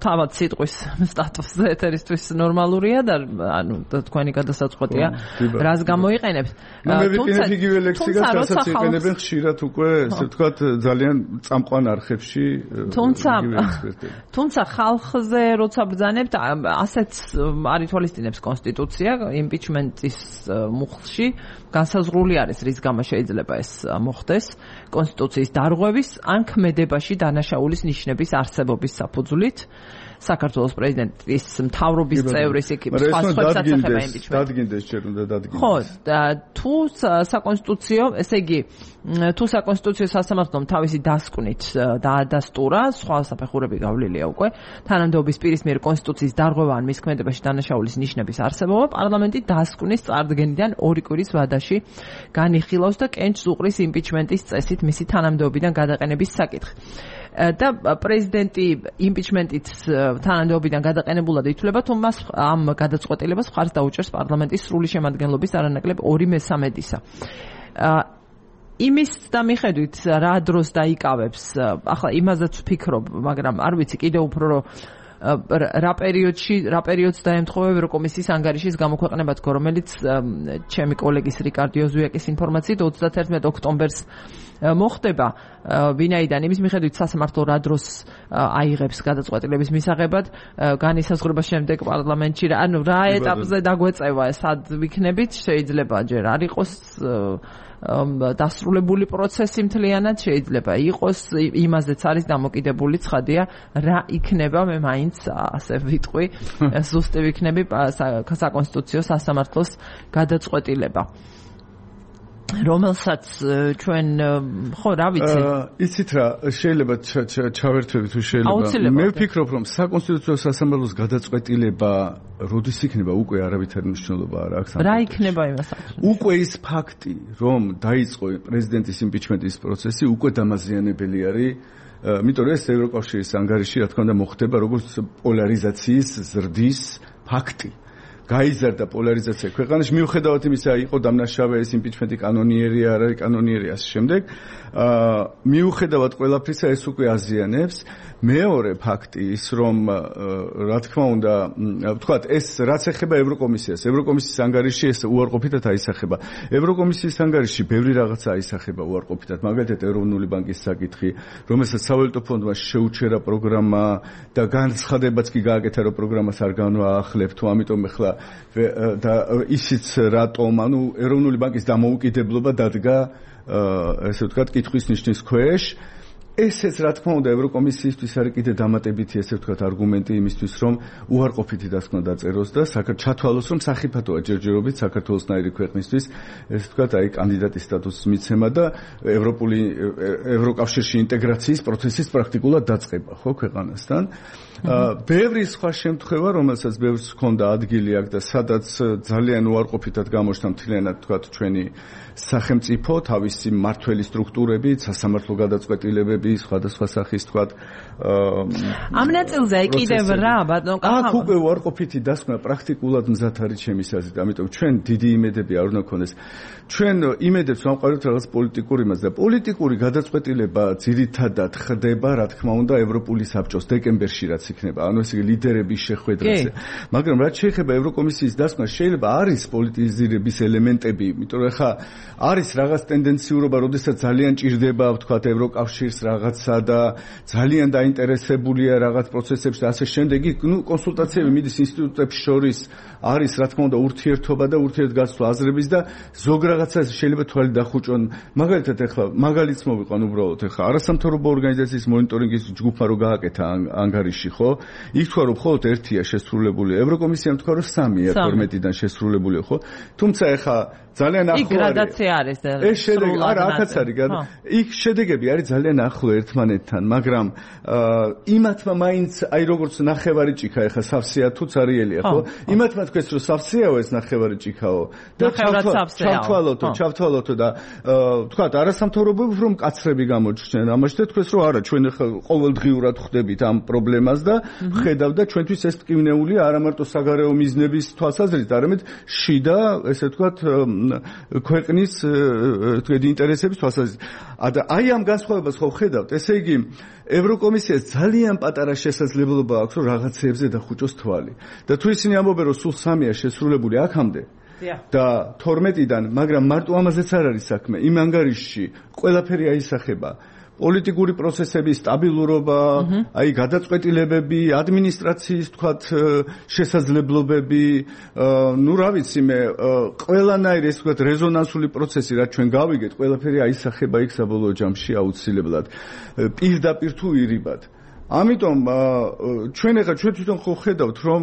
Speaker 1: თავად სიტყვის სტატუსზე ეთერისთვის ნორმალურია და ანუ თქვენი გადასაწყვეტია რას გამოიყენებთ.
Speaker 2: მე ვიყენებ იგივე ლექსიკას, რასაც იყენებენ ხშირად უკვე, ესე ვთქვათ, ძალიან წამყვან არხებში.
Speaker 1: თუმცა თუმცა ხალხზე როცა ბრძანებთ, ასეც არ ითვალისწინებს კონსტიტუცია, იმპიჩმენტის მუხლში განსაზღვრული არის, რის გამო შეიძლება ეს მოხდეს კონსტიტუციის დარღვევის ან ქმედებაში დანაშაულის ნიშნების არსებობის საფუძვლით. საქართველოს პრეზიდენტის მთავრობის წევრის იქ სხვა სხვებსაც ეხება იმპიჩმენტი.
Speaker 2: დადგინდეს ჯერ უნდა დადგინდეს.
Speaker 1: ხო, თუ საკონსტიტუციო, ესე იგი, თუ საკონსტიტუციო სასამართლომ თავისი დასკვნით დაადასტურა, სხვა საფეხურები გავლილია უკვე, თანამდებობის პირის მიერ კონსტიტუციის დარღვევა ან მის ქმედებაში დანაშაულის ნიშნების არსებობა, პარლამენტი დასკვნის წარდგენიდან ორი კვირის ვადაში განიხილავს და კენჭს უყრის იმპიჩმენტის წესით მისი თანამდებობიდან გადაყენების საკითხი. და პრეზიდენტი იმპიჩმენტით თანამდებობიდან გადაყენებულად ითვლება, თუ მას ამ გადაწყვეტილებას მხარს დაუჭერს პარლამენტის სრული შემადგენლობის არანაკლებ ორი მესამედისა. იმის და მიხედვით რა დროს დაიკავებს, ახლა იმაზეც ვფიქრობ, მაგრამ არ ვიცი კიდევ უფრო რომ რა პერიოდში, რა პერიოდს დაემთხოვა ევროკომისიის ანგარიშის გამოქვეყნება თქო, რომელიც ჩემი კოლეგის რიკარდ იოზუაკის ინფორმაციით ოცდათერთმეტ ოქტომბერს მოხდება, ვინაიდან იმის მიხედვით სასამართლო რა დროს აიღებს გადაწყვეტილების მისაღებად, განისაზღვრება შემდეგ პარლამენტში, ანუ რა ეტაპზე დაგვეწევა, სად ვიქნებით, შეიძლება ჯერ არ იყოს დასრულებული პროცესი მთლიანად, შეიძლება იყოს, იმაზეც არის დამოკიდებული, ცხადია, რა იქნება, მე მაინც ასე ვიტყვი, ზუსტი ვიქნები საკონსტიტუციო სასამართლოს გადაწყვეტილება. რომელსაც ჩვენ ხო რა ვიცი
Speaker 2: იცით რა შეიძლება ჩავერთვები თუ შეიძლება მე ვფიქრობ რომ საკონსტიტუციო სასამართლოს გადაწყვეტილება როდის იქნება უკვე არავითარი მნიშვნელობა არ აქვს
Speaker 1: რა იქნება იმას
Speaker 2: უკვე ის ფაქტი რომ დაიწყო პრეზიდენტის იმპიჩმენტის პროცესი უკვე დამაზიანებელი არის იმიტომ რომ ეს ევროკავშირის ანგარიში რა თქმა უნდა მოხდება როგორც პოლარიზაციის ზრდის ფაქტი გაიზარდა პოლარიზაცია ქვეყანაში მიუხედავად იმისა იყო დამნაშავე ეს იმპიჩმენტი კანონიერი არ არის კანონიერი ასე შემდეგ მიუხედავად ყველაფრისა ეს უკვე აზიანებს მეორე ფაქტი ის რომ რა თქმა უნდა ვთქვათ ეს რაც ეხება ევროკომისიას ევროკომისიის ანგარიში ეს უარყოფითად აისახება ევროკომისიის ანგარიში ბევრი რაღაცა აისახება უარყოფითად მაგალითად ეროვნული ბანკის საკითხი რომელსაც სავალუტო ფონდმა შეუჩერა პროგრამა და განცხადებაც კი გააკეთა რომ პროგრამას არ განვაახლებ თუ ამიტომ ეხლა და ისიც რატომ ანუ ეროვნული ბანკის დამოუკიდებლობა დადგა ესე ვთქვათ კითხვის ნიშნის ქვეშ ესეც რა თქმა უნდა ევროკომისიისთვის არის კიდე დამატებითი ესე ვთქვათ არგუმენტი იმისთვის რომ უარყოფითი დასკვნა დაწეროს და ჩათვალოს რომ სახიფათოა ჯერჯერობით საქართველოსნაირი ქვეყნისთვის ესე ვთქვათ აი კანდიდატის სტატუსის მიცემა და ევროპული ევროკავშირში ინტეგრაციის პროცესის პრაქტიკულად დაწყება ხო ქვეყანასთან ბევრი სხვა შემთხვევა რომელსაც ბევრს ჰქონდა ადგილი აქ და სადაც ძალიან უარყოფითად გამოჩნდა მთლიანად ვთქვათ ჩვენი სახელმწიფო თავისი მმართველი სტრუქტურები სასამართლო გადაწყვეტილებები სხვადასხვა სახის თქვათ
Speaker 1: ამ ნაწილზე კიდევ რა ბატონო
Speaker 2: კახა აქ უკვე უარყოფითი დასკვნა პრაქტიკულად მზად არის ჩემი აზრით ამიტომ ჩვენ დიდი იმედები არ უნდა გქონდეს ჩვენ იმედებს ვამყარებთ რაღაც პოლიტიკურ იმას და პოლიტიკური გადაწყვეტილება ძირითადად ხდება რა თქმა უნდა ევროპული საბჭოს დეკემბერში რაც იქნება ანუ ესე იგი ლიდერების შეხვედრაზე მაგრამ რაც შეეხება ევროკომისიის დასკვნა შეიძლება არის პოლიტიზირების ელემენტები იმიტომ რომ ხა არის რაღაც ტენდენციურობა როდესაც ძალიან ჭირდება ვთქვათ ევროკავშირს რაღაცა და ძალიან დაინტერესებულია რაღაც პროცესებში და ასე შემდეგ ნუ კონსულტაციები მიდის ინსტიტუტებს შორის არის რა თქმა უნდა ურთიერთობა და ურთიერთგაცვლა აზრების და ზოგ რაღაცას შეიძლება თვალი დახუჭონ მაგალითად ეხლა მაგალითს მოვიყვან უბრალოდ ეხლა არასამთავრობო ორგანიზაციის მონიტორინგის ჯგუფმა რო გააკეთა ანგარიში ხო იქ თქვა რომ მხოლოდ ერთია შესრულებული ევროკომისიამ თქვა რომ სამია თორმეტიდან შესრულებული ხო თუმცა ეხლა ძალიან ახლო
Speaker 1: არის. იქ გრადაცია არის და
Speaker 2: ეს შედეგი არა აქაც არის. იქ შედეგები არის ძალიან ახლო ერთმანეთთან, მაგრამ იმათმა მაინც აი როგორც ნახევარი ჭიქა ეხა სავსეა თუ цаრიელია, ხო? იმათმა თქვეს რომ სავსეაო ეს ნახევარი ჭიქაო
Speaker 1: და
Speaker 2: ჩავთვალოთო, ჩავთვალოთო და თქვათ არასამთავრობოები რომ კაცრები გამოჩნდნენ. ამაში და თქვეს რომ არა, ჩვენ ეხა ყოველდღიურად ხვდებით ამ პრობლემას და ხედავთ და ჩვენთვის ეს მტკივნეულია არა მარტო საგარეო მიზნების თვალსაზრისით, არამედ შიდა ესე ვთქვათ ქვეყნის თქვენ ინტერესების თვალსაზრისით. აი ამ განსხვავებას ხო ხედავთ? ესე იგი ევროკომისიას ძალიან პატარა შესაძლებლობა აქვს რომ რაღაცეებზე დახუჭოს თვალი. და თუ ისინი ამბობენ რომ სულ სამია შესრულებული აქამდე და თორმეტიდან, მაგრამ მარტო ამაზეც არ არის საქმე. იმ ანგარიშში ყველაფერი აისახება. პოლიტიკური პროცესების სტაბილურობა, აი გადაწყვეტილებები, ადმინისტრაციის თქვათ შესაძლებლობები, ну რა ვიცი მე, ყველანაირი ეს თქვათ რეზონანსული პროცესი რაც ჩვენ გავიგეთ, ყველაფერი აისახება იქ საბოლოო ჯამში აუცილებლად პირდაპირ თუ ირიბად. ამიტომ ჩვენ ახლა ჩვენ თვითონ ხო ხედავთ რომ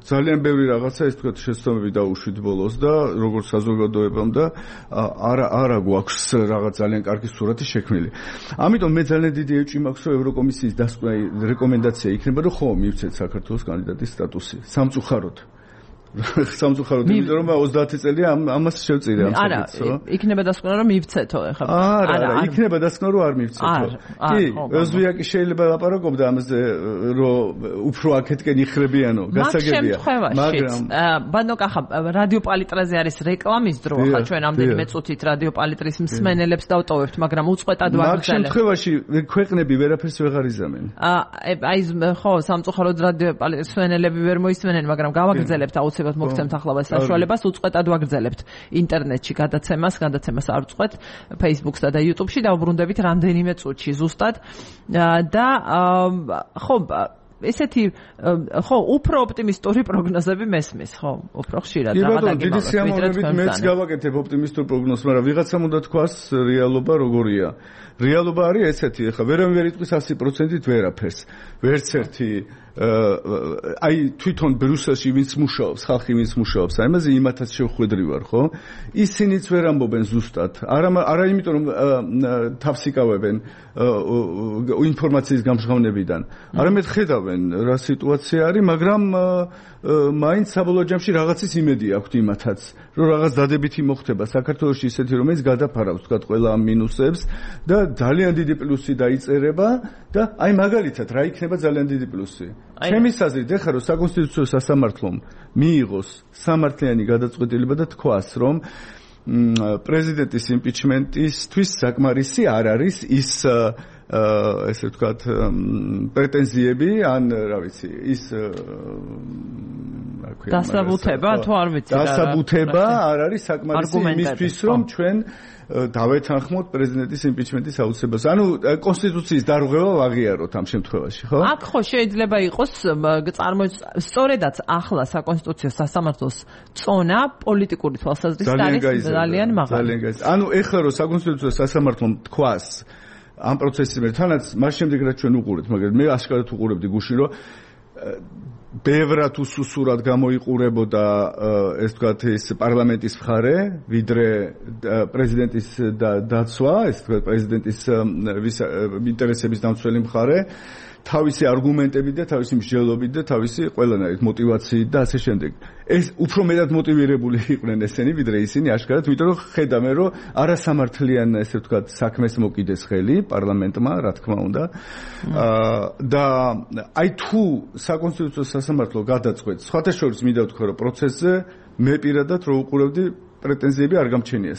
Speaker 2: ძალიან ბევრი რაღაცა ეს თქვათ შეცდომები დაუშვით ბოლოს და როგორც საზოგადოებამ და არა არა გვაქვს რაღაც ძალიან კარგი სურათი შექმნილი. ამიტომ მე ძალიან დიდი ეჭვი მაქვს რომ ევროკომისიის დასკვნა რეკომენდაცია იქნება რომ ხო მივცეთ საქართველოს კანდიდატის სტატუსი სამწუხაროდ. სამწუხაროდ იმიტომ რომ ოცდაათი წელია ამას შევწირე ამ საკითხს ხო?
Speaker 1: არა, იქნება დასკვნა რომ მივცეთო ახლა.
Speaker 2: არა, არა, იქნება დასკვნა რომ არ მივცეთო. კი, ოზვიაკი შეიძლება ლაპარაკობდა ამაზე რომ უფრო აქეთკენ იხრებიანო, გასაგებია.
Speaker 1: მაგრამ ბანო კახა რადიო პალიტრაზე არის რეკლამის დრო, ახლა ჩვენ ამდენიმე წუთით რადიო პალიტრის მსმენელებს დავტოვებთ, მაგრამ უწყვეტად ვაგრძელებ.
Speaker 2: მაგ შემთხვევაში ქვეყნები ვერაფერს ვეღარ იზამენ.
Speaker 1: აი ხო, სამწუხაროდ რადიო პალიტრის მსმენელები ვერ მოისმენენ, მაგრამ გავაგრძელებთ აუცილებლად მოგცემთ ახლა საშუალებას უწყვეტად ვაგრძელებთ ინტერნეტში გადაცემას, გადაცემას არ ვწყვეთ Facebook-სა და YouTube-ში დავბრუნდებით რამდენიმე წუთში ზუსტად და ხო ესეთი ხო უფრო ოპტიმისტური პროგნოზები მესმის ხო უფრო ხშირად
Speaker 2: რაღაცა დიდი სიამოვნებით მეც გავაკეთებ ოპტიმისტურ პროგნოზს, მაგრამ ვიღაცამ უნდა თქვას რეალობა როგორია. რეალობა არის ესეთი, ახლა ვერავინ ვერ იტყვის ასი პროცენტით ვერაფერს. ვერც ერთი აი თვითონ ბრიუსელში ვინც მუშაობს, ხალხი ვინც მუშაობს, აი ამაზე იმათაც შევხვედრი ვარ, ხო? ისინიც ვერ ამბობენ ზუსტად. არა არა იმიტომ რომ თავს იკავებენ ინფორმაციის გამჟღავნებიდან. არამედ ხედავენ რა სიტუაცია არის, მაგრამ მაინც საბოლოო ჯამში რაღაცის იმედი აქვთ იმათაც, რომ რაღაც დადებითი მოხდება საქართველოში ისეთი, რომელიც გადაფარავს თქვა ყველა ამ მინუსებს და ძალიან დიდი პლუსი დაიწერება და აი მაგალითად რა იქნება ძალიან დიდი პლუსი. ჩემი აზრით ეხლა რომ საკონსტიტუციო სასამართლომ მიიღოს სამართლიანი გადაწყვეტილება და თქვას რომ პრეზიდენტის იმპიჩმენტისთვის საკმარისი არ არის ის ესე ვთქვათ პრეტენზიები ან რა ვიცი ის
Speaker 1: დასაბუთება თუ არ ვიცი რა
Speaker 2: დასაბუთება არ არის საკმარისი იმისთვის რომ ჩვენ დავეთანხმოთ პრეზიდენტის იმპიჩმენტის აუცილებლობას. ანუ კონსტიტუციის დარღვევა ვაღიაროთ ამ შემთხვევაში, ხო?
Speaker 1: აქ ხო შეიძლება იყოს წარმოიდგინოთ სწორედაც ახლა საკონსტიტუციო სასამართლოს წონა პოლიტიკური თვალსაზრისით არის ძალიან მაღალი.
Speaker 2: ძალიან გაიზარდა. ანუ ეხლა რომ საკონსტიტუციო სასამართლომ თქვას ამ პროცესის მიერ თანაც მას შემდეგ რაც ჩვენ უყურებთ, მაგრამ მე აშკარად უყურებდი გუში რომ ბევრად უსუსურად გამოიყურებოდა ეს თქვათ ის პარლამენტის მხარე, ვიდრე პრეზიდენტის დაცვა, ეს თქვათ პრეზიდენტის ინტერესების დამცველი მხარე, თავისი არგუმენტებით და თავისი მსჯელობით და თავისი ყველანაირ მოტივაციით და ასე შემდეგ. ეს უფრო მეტად მოტივირებული იყვნენ ესენი, ვიდრე ისინი აშკარად, იმიტომ რომ ხედავენ, რომ არასამართლიან ესე ვთქვათ საქმეს მოკიდეს ხელი პარლამენტმა, რა თქმა უნდა. და აი თუ საკონსტიტუციო სასამართლო გადაწყვეტს, სხვათა შორის მინდა ვთქვა, რომ პროცესზე მე პირადად რო უყურებდი პრეტენზიები არ გამჩენია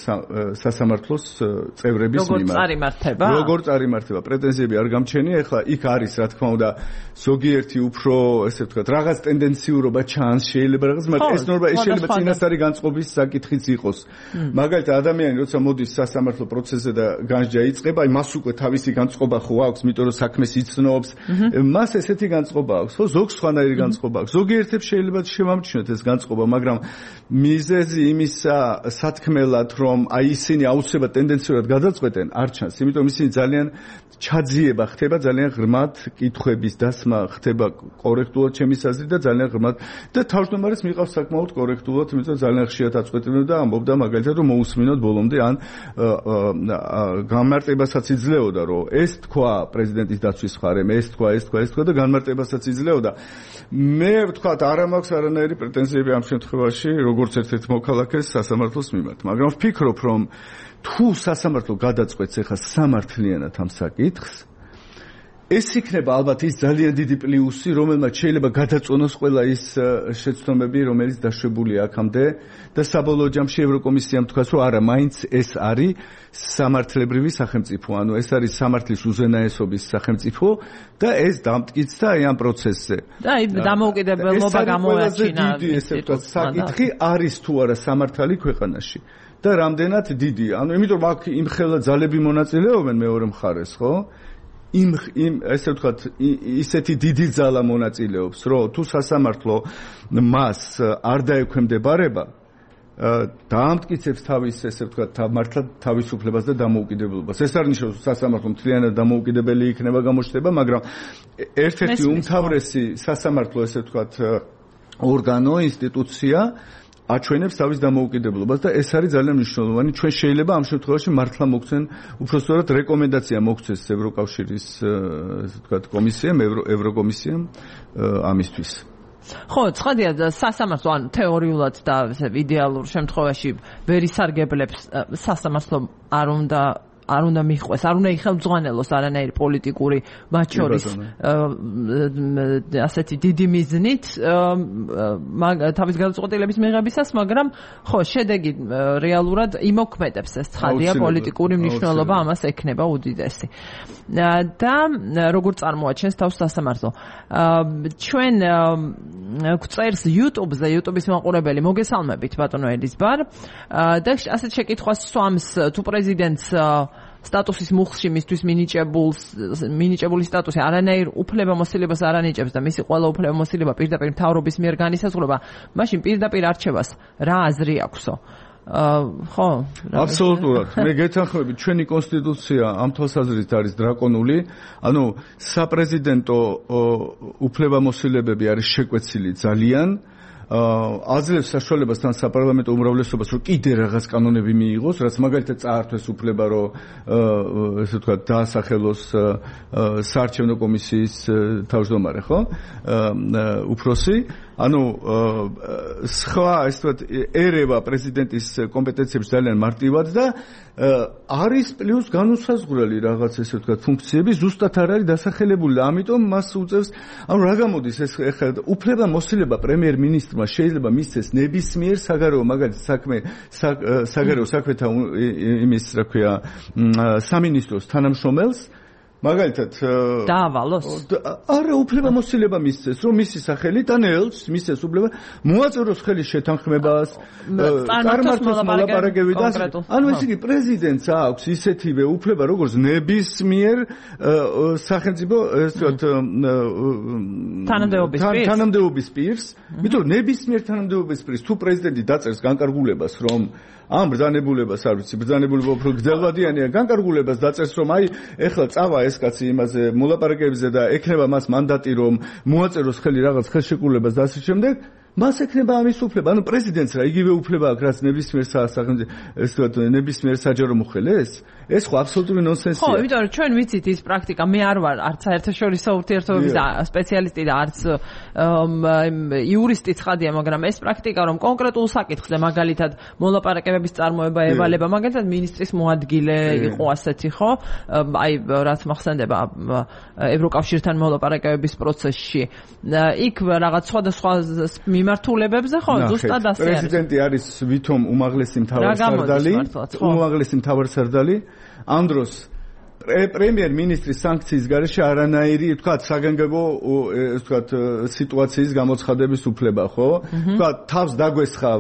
Speaker 2: სასამართლოს წევრების მიმართ.
Speaker 1: როგორ წარიმართება?
Speaker 2: როგორ წარიმართება? პრეტენზიები არ გამჩენია. ეხლა იქ არის, რა თქმა უნდა, ზოგიერთი უფრო, ესე ვთქვათ, რაღაც ტენდენციურობა ჩანს, შეიძლება რაღაც, მაგრამ ეს ნორმა ეს შეიძლება წინასწარი განწყობის საკითხიც იყოს. მაგალითად, ადამიანი როცა მოდის სასამართლო პროცესზე და განსჯა იწყება, აი მას უკვე თავისი განწყობა ხო აქვს, იმიტომ რომ საქმეს იცნობს. მას ესეთი განწყობა აქვს, ხო? ზოგს სხვანაირი განწყობა აქვს. ზოგიერთებს შეიძლება შემამჩნიოთ ეს განწყობა, მაგრამ მიზეზი იმისა სათქმელად რომ აი ისინი აუცილებლად ტენდენციურად გადაწყვეტენ არ ჩანს, იმიტომ ისინი ძალიან ჩაძიება ხდება, ძალიან ღრმად კითხვების დასმა ხდება კორექტულად ჩემის აზრით და ძალიან ღრმად და თავმჯდომარეს მიყავს საკმაოდ კორექტულად, იმიტომ ძალიან ხშირად აწყვეტებდა და ამბობდა მაგალითად რომ მოусმინოთ ბოლომდე ან განმარტებასაც იძლეოდა რომ ეს თქვა პრეზიდენტის დაცვის მხარემ, ეს თქვა, ეს თქვა, ეს თქვა და განმარტებასაც იძლეოდა. მე ვთქვათ არ მაქვს არანაირი პრეტენზიები ამ შემთხვევაში როგორც ერთ-ერთ მოქალაქეს სასამართლოს მიმართ, მაგრამ ვფიქრობ რომ თუ სასამართლო გადაწყვეტს ახლა სამართლიანად ამ საკითხს, ეს იქნება ალბათ ის ძალიან დიდი პლუსი, რომელმაც შეიძლება გადაწონოს ყველა ის შეცდომები, რომელიც დაშვებულია აქამდე და საბოლოო ჯამში ევროკომისიამ თქვას, რომ არა, მაინც ეს არის სამართლებრივი სახელმწიფო, ანუ ეს არის სამართლის უზენაესობის სახელმწიფო და ეს დამტკიცდა აი ამ პროცესზე.
Speaker 1: და აი დამოუკიდებლობა გამოაჩინა.
Speaker 2: ეს საკითხი არის თუ არა სამართალი ქვეყანაში. და რამდენად დიდია. ანუ იმიტომ აქ იმ ხელა ძალები მონაწილეობენ მეორე მხარეს, ხო? იმ იმ ესე ვთქვათ ისეთი დიდი ძალა მონაწილეობს, რომ თუ სასამართლო მას არ დაექვემდებარება დაამტკიცებს თავის ესე ვთქვათ მართლა თავისუფლებას და დამოუკიდებლობას. ეს არ ნიშნავს რომ სასამართლო მთლიანად დამოუკიდებელი იქნება გამოჩნდება, მაგრამ ერთ-ერთი უმთავრესი სასამართლო ესე ვთქვათ ორგანო, ინსტიტუცია აჩვენებს თავის დამოუკიდებლობას და ეს არის ძალიან მნიშვნელოვანი. ჩვენ შეიძლება ამ შემთხვევაში მართლა მოგცენ, უბრალოდ რეკომენდაცია მოგცეს ევროკავშირის ესე ვთქვათ კომისიამ, ევროკომისიამ ამისთვის.
Speaker 1: ხო, ცხადია სასამართლო ან თეორიულად და იდეალურ შემთხვევაში ვერ ისარგებლებს სასამართლო არ უნდა არ უნდა მიხვეს, არ უნდა იხელმძღვანელოს არანაირი პოლიტიკური მათ შორის ასეთი დიდი მიზნით თავის გადაწყვეტილების მიღებისას, მაგრამ ხო, შედეგი რეალურად იმოქმედებს, ეს ცხადია, პოლიტიკური მნიშვნელობა ამას ექნება უდიდესი. და როგორ წარმოაჩენს თავს სასამართლო? ჩვენ გვწერს YouTube-ზე, YouTube-ის მაყურებელი, მოგესალმებით ბატონო ელიზბარ. და ასეთ შეკითხვას swams თუ პრეზიდენტს სტატუსის მუხლში მისთვის მინიჭებულს მინიჭებული სტატუსი არანაირ უფლებამოსილებას არ ანიჭებს და მისი ყველა უფლებამოსილება პირდაპირ მთავრობის მიერ განისაზღვრება, მაშინ პირდაპირ არჩევას რა აზრი აქვსო? ხო,
Speaker 2: აბსოლუტურად. მე გეთანხმები, ჩვენი კონსტიტუცია ამ თვალსაზრისით არის დრაკონული, ანუ საპრეზიდენტო უფლებამოსილებები არის შეკვეცილი ძალიან. აძლევს საშუალებას თან საპარლამენტო უმრავლესობას რომ კიდე რაღაც კანონები მიიღოს, რაც მაგალითად წაართვეს უფლება რომ ესე ვთქვათ დაასახელოს საარჩევნო კომისიის თავმჯდომარე, ხო? უფროსი, ანუ სხვა ესე ვთქვათ ერევა პრეზიდენტის კომპეტენციებს ძალიან მარტივად და არის პლუს განუსაზღვრელი რაღაც ესე ვთქვათ ფუნქციები ზუსტად არ არის დასახელებული, ამიტომ მას უწევს, ანუ რა გამოდის ეს ეხლა უფლებამოსილება პრემიერ-მინისტრმა შეიძლება მისცეს ნებისმიერ საგარეო მაგალითად საქმე საგარეო საქმეთა იმის რა ქვია სამინისტროს თანამშრომელს მაგალითად
Speaker 1: დაავალოს
Speaker 2: არა უფლებამოსილება მისცეს რომ მისი სახელით ან ელს მისცეს უფლება მოაწეროს ხელი შეთანხმებას წარმართოს მოლაპარაკებები და ანუ ეს იგი პრეზიდენტს აქვს ისეთივე უფლება როგორც ნებისმიერ სახელმწიფო ესე ვთქვათ
Speaker 1: თანამდებობის პირს
Speaker 2: თანამდებობის პირს იმიტომ ნებისმიერ თანამდებობის პირს თუ პრეზიდენტი დაწერს განკარგულებას რომ ამ ბრძანებულებას არ ვიცი ბრძანებულება უფრო გრძელვადიანია განკარგულებას დაწერს რომ აი ეხლა წავა ეს კაცი იმაზე მოლაპარაკებებზე და ექნება მას მანდატი რომ მოაწეროს ხელი რაღაც ხელშეკრულებას და ასე შემდეგ მას ექნება ამის უფლება ანუ პრეზიდენტს რა იგივე უფლება აქვს რაც ნებისმიერ სახელმწიფო ეს ვთქვათ ნებისმიერ საჯარო მოხელეს ეს ხო აბსოლუტური ნონსენსია
Speaker 1: ხო იმიტომ რომ ჩვენ ვიცით ის პრაქტიკა მე არ ვარ არც საერთაშორისო ურთიერთობების სპეციალისტი და არც იურისტი ცხადია მაგრამ ეს პრაქტიკა რომ კონკრეტულ საკითხზე მაგალითად მოლაპარაკებების წარმოება ევალება მაგალითად მინისტრის მოადგილე იყო ასეთი ხო აი რაც მახსენდება ევროკავშირთან მოლაპარაკებების პროცესში იქ რაღაც სხვადასხვა მიმართულებებზე ხო ზუსტად ასე არის
Speaker 2: პრეზიდენტი არის ვითომ უმაღლესი მთავარსარდალი უმაღლესი მთავარსარდალი ამ დროს პრემიერ-მინისტრის სანქციის გარეშე არანაირი ვთქვათ საგანგებო ეს ვთქვათ სიტუაციის გამოცხადების უფლება ხო ვთქვათ თავს დაგვესხა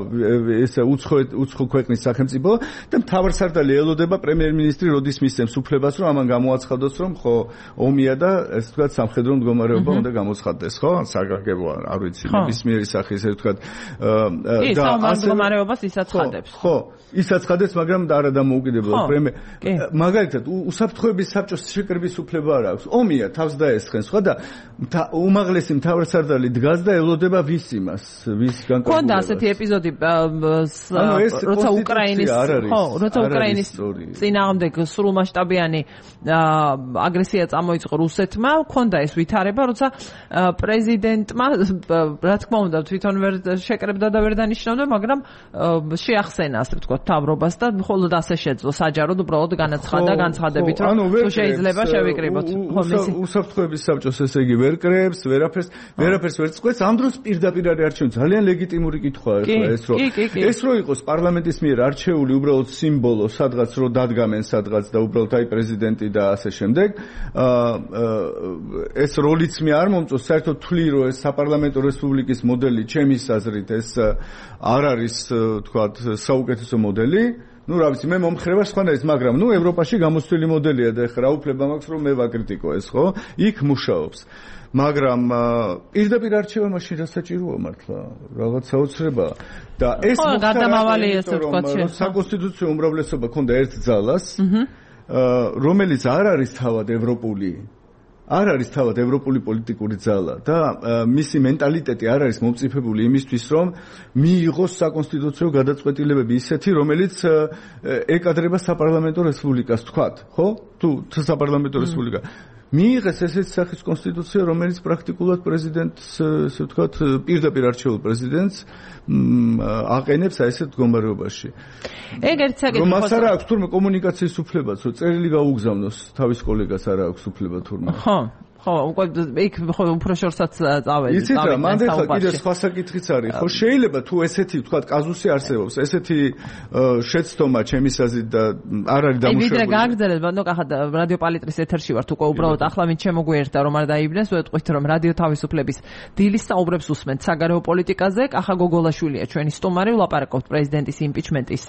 Speaker 2: ესე უცხო უცხო ქვეყნის სახელმწიფო და მთავარსარდალი ელოდება პრემიერ-მინისტრი როდის მისცემს უფლებას რომ ამან გამოაცხადოს რომ ხო ომია და ეს ვთქვათ სამხედრო მდგომარეობა უნდა გამოცხადდეს ხო საგანგებო არ ვიცი ნებისმიერი სახის ესე ვთქვათ
Speaker 1: და ამ მდგომარეობას ისაცხადებს
Speaker 2: ხო ისაცხადებს მაგრამ არა დამოუკიდებლად პრემიერ მაგალითად უსაფრთხოების საბჭოს შეკრების უფლება არ აქვს. ომია თავს დაესხენ სხვა და უმაღლესი მთავარსარდალი დგას და ელოდება ვის იმას, ვის განკარგულებას.
Speaker 1: ქონდა ასეთი ეპიზოდი როცა უკრაინის ხო, როცა უკრაინის წინააღმდეგ სრულმასშტაბიანი აგრესია წამოიწყო რუსეთმა, ქონდა ეს ვითარება, როცა პრეზიდენტმა რა თქმა უნდა თვითონ ვერ შეკრებდა და ვერ დანიშნავდა, მაგრამ შეახსენა ასე ვთქვათ თავრობას და მხოლოდ ასე შეძლო საჯაროდ უბრალოდ განაცხადა განცხადებით რომ თუ შეიძლება შევიკრიბოთ.
Speaker 2: უსაფრთხოების საბჭოს ესე იგი ვერ კრებს, ვერაფერს, ვერაფერს ვერ წყვეტს. ამ დროს პირდაპირ არის არჩეული. ძალიან ლეგიტიმური კითხვაა ახლა ეს, რომ ეს რო იყოს პარლამენტის მიერ არჩეული უბრალოდ სიმბოლო, სადღაც რო დადგამენ სადღაც და უბრალოდ აი პრეზიდენტი და ასე შემდეგ. ეს როლიც მე არ მომწონს, საერთოდ თვლი რომ ეს საპარლამენტო რესპუბლიკის მოდელი ჩემის აზრით ეს არ არის თქვათ საუკეთესო მოდელი. ну, რა ვიცი, მე მომხრება სხვანაირად, მაგრამ ну, ევროპაში გამოცდილი მოდელია და ეხლა რა უფლება მაქვს რომ მე ვაკრიტიკო ეს, ხო? იქ მუშაობს. მაგრამ პირდაპირ არჩევა მაშინ რა საჭიროა მართლა? რაღაც საოცრებაა. და ეს
Speaker 1: გადამავალი ესე თქვა,
Speaker 2: რომ საკონსტიტუციო უმრავლესობა ქონდა ერთ ძალას, რომელიც არ არის თავად ევროპული არ არის თავად ევროპული პოლიტიკური ძალა და მისი მენტალიტეტი არ არის მომწიფებული იმისთვის, რომ მიიღოს საკონსტიტუციო გადაწყვეტილებები ისეთი, რომელიც ეკადრება საპარლამენტო რესპუბლიკას, თქვათ, ხო? თუ საპარლამენტო რესპუბლიკა მიიღეს ესეთი სახის კონსტიტუცია, რომელიც პრაქტიკულად პრეზიდენტს, ესე ვთქვათ, პირდაპირ არჩეულ პრეზიდენტს აყენებს აი ესეთ მდგომარეობაში.
Speaker 1: ეგ ერთ საკითხი
Speaker 2: რომ მას არ აქვს თურმე კომუნიკაციის უფლებაც, რომ წერილი გაუგზავნოს თავის კოლეგას არ აქვს უფლება თურმე.
Speaker 1: ხო. ხო, უკვე იქ ხო უფრო შორსაც წავედი.
Speaker 2: იცით რა, მანდ ახლა კიდე სხვა საკითხიც არის. ხო, შეიძლება თუ ესეთი, ვთქვათ, კაზუსი არსებობს, ესეთი შეცდომა ჩემის აზრით და არ არის დამუშავებული.
Speaker 1: ვიდრე გააგრძელეთ, ბანო კახად რადიო პალიტრის ეთერში ვართ, უკვე უბრალოდ ახლა ვინც შემოგვიერთდა, რომ არ დაიბნეს, ვეტყვით, რომ რადიო თავისუფლების დილის საუბრებს უსმენთ საგარეო პოლიტიკაზე. კახა გოგოლაშვილია ჩვენი სტუმარი, ვლაპარაკობთ პრეზიდენტის იმპიჩმენტის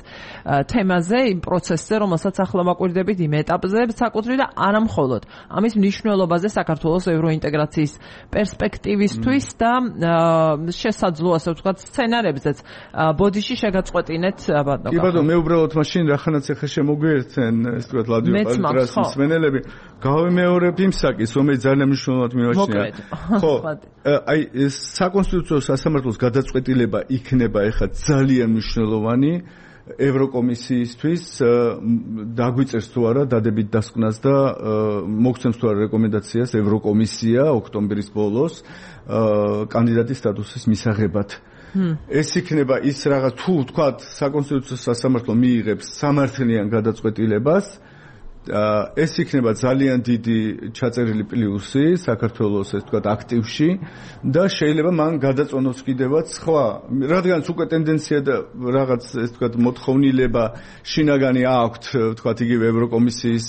Speaker 1: თემაზე, იმ პროცესზე, რომელსაც ახლა მაკვირდებით იმ ეტაპზე, საკუთრივ და არა მხოლოდ. ამის მნიშვნელობაზე საქართველოს ევროინტეგრაციის პერსპექტივისთვის და შესაძლო ასე ვთქვათ სცენარებზეც ბოდიში შეგაწყვეტინეთ ბატონო.
Speaker 2: კი ბატონო, მე უბრალოდ მაშინ რახანაც ახლა შემოგვიერთენ ეს ვთქვათ რადიო პალიტრის მსმენელები, გავიმეორებ იმ საკითხს, რომელიც ძალიან მნიშვნელოვნად მიმაჩნია. ხო, აი ეს საკონსტიტუციო სასამართლოს გადაწყვეტილება იქნება ახლა ძალიან მნიშვნელოვანი ევროკომისიისთვის დაგვიწერს თუ არა დადებით დასკვნას და მოგცემს თუ არა რეკომენდაციას ევროკომისია ოქტომბრის ბოლოს კანდიდატის სტატუსის მისაღებად. ეს იქნება ის რაღაც თუ თქვა საკონსტიტუციო სასამართლო მიიღებს სამართლიან გადაწყვეტილებას, ეს იქნება ძალიან დიდი ჩაწერილი პლუსი საქართველოს ეს თქვა აქტივში და შეიძლება მან გადაწონოს კიდევაც სხვა, რადგანაც უკვე ტენდენცია და რაღაც ეს თქვა მოთხოვნილება შინაგანი აქვთ თქვა იგივე ევროკომისიის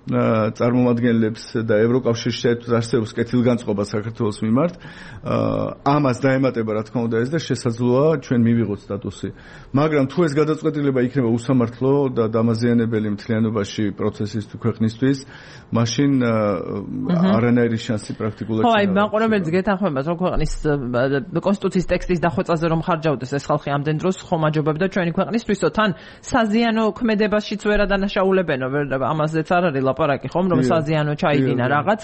Speaker 2: წარმომადგენლებს და ევროკავშირში არსებობს კეთილგანწყობა საქართველოს მიმართ, ამას დაემატება რა თქმა უნდა ეს და შესაძლოა ჩვენ მივიღოთ სტატუსი. მაგრამ თუ ეს გადაწყვეტილება იქნება უსამართლო და დამაზიანებელი მთლიანობაში პროცესის თუ ქვეყნისთვის, მაშინ არანაირი შანსი პრაქტიკულად
Speaker 1: ხო, აი მაყურებელს გეთანხმებათ, რომ ქვეყნის კონსტიტუციის ტექსტის დახვეწაზე რომ ხარჯავდეს ეს ხალხი ამდენ დროს ხომაჯობებდა ჩვენი ქვეყნისთვისო, თან საზიანო ქმედებაშიც ვერ ადანაშაულებენო, ამაზეც არ არის ლაპარაკი ხომ, რომ საზიანო ჩაიდინა რაღაც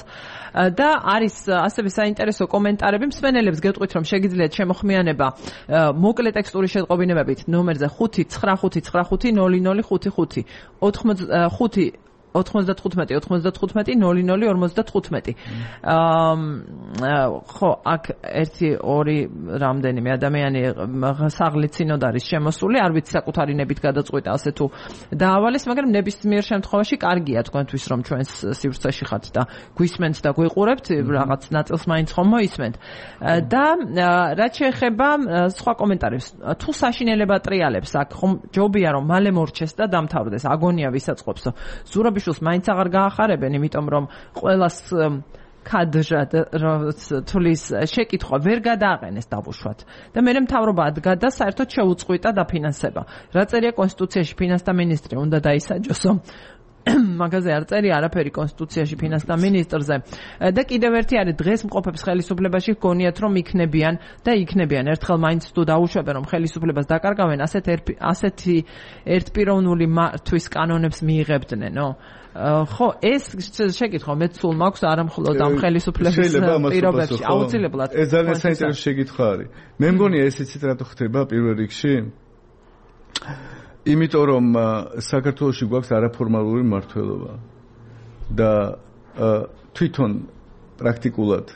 Speaker 1: და არის ასევე საინტერესო კომენტარები მსმენელებს გეტყვით, რომ შეგიძლიათ შემოხმიანება მოკლე ტექსტური შეტყობინებებით ნომერზე ხუთი ცხრა ხუთი ცხრა ხუთი ნული ნული ხუთი ხუთი ხუთი ოთხმოცდათხუთმეტი ოცდათხუთმეტი ნული ნული ორმოცდათხუთმეტი. ხო, აქ ერთი ორი რამდენიმე ადამიანი საღლიცინოდ არის შემოსული, არ ვიცი საკუთარი ნებით გადაწყვიტა ასე თუ დაავალეს, მაგრამ ნებისმიერ შემთხვევაში კარგია თქვენთვის, რომ ჩვენს სივრცეში ხართ და გვისმენთ და გვიყურებთ, რაღაც ნაწილს მაინც ხომ მოისმენთ. და რაც შეეხება სხვა კომენტარებს, თუ საშინელება ტრიალებს აქ ხომ ჯობია რომ მალე მორჩეს და დამთავრდეს, აგონია ვისაწყობსო. ზურაბი მაინც აღარ გაახარებენ, იმიტომ რომ ყველას კადრად თulis შეკითხვა ვერ გადააყენეს დავუშვათ და მე მთავრობა ადგა და საერთოდ შეუწყვიტა დაფინანსება. რა წერია კონსტიტუციაში ფინანსთა მინისტრი უნდა დაისაჯოსო. მაგაზე არ წერია არაფერი კონსტიტუციაში ფინანსთა მინისტრზე და კიდევ ერთი არის დღეს მყოფებს ხელისუფლებაში გონიათ რომ იქნებიან და იქნებიან ერთხელ მაინც თუ დაუშვებენ რომ ხელისუფლებას დაკარგავენ ასეთ ასეთი ერთპიროვნული მართვის კანონებს მიიღებდნენო. ხო, ეს შეკითხვა მეც სულ მაქვს არა მხოლოდ ამ ხელისუფლების პირობებში, აუცილებლად.
Speaker 2: ეს ძალიან საინტერესო შეკითხვა არის. მე მგონია ეს იცით რატო ხდება პირველ რიგში? იმიტომ რომ საქართველოში გვაქვს არაფორმალური მმართველობა და თვითონ პრაქტიკულად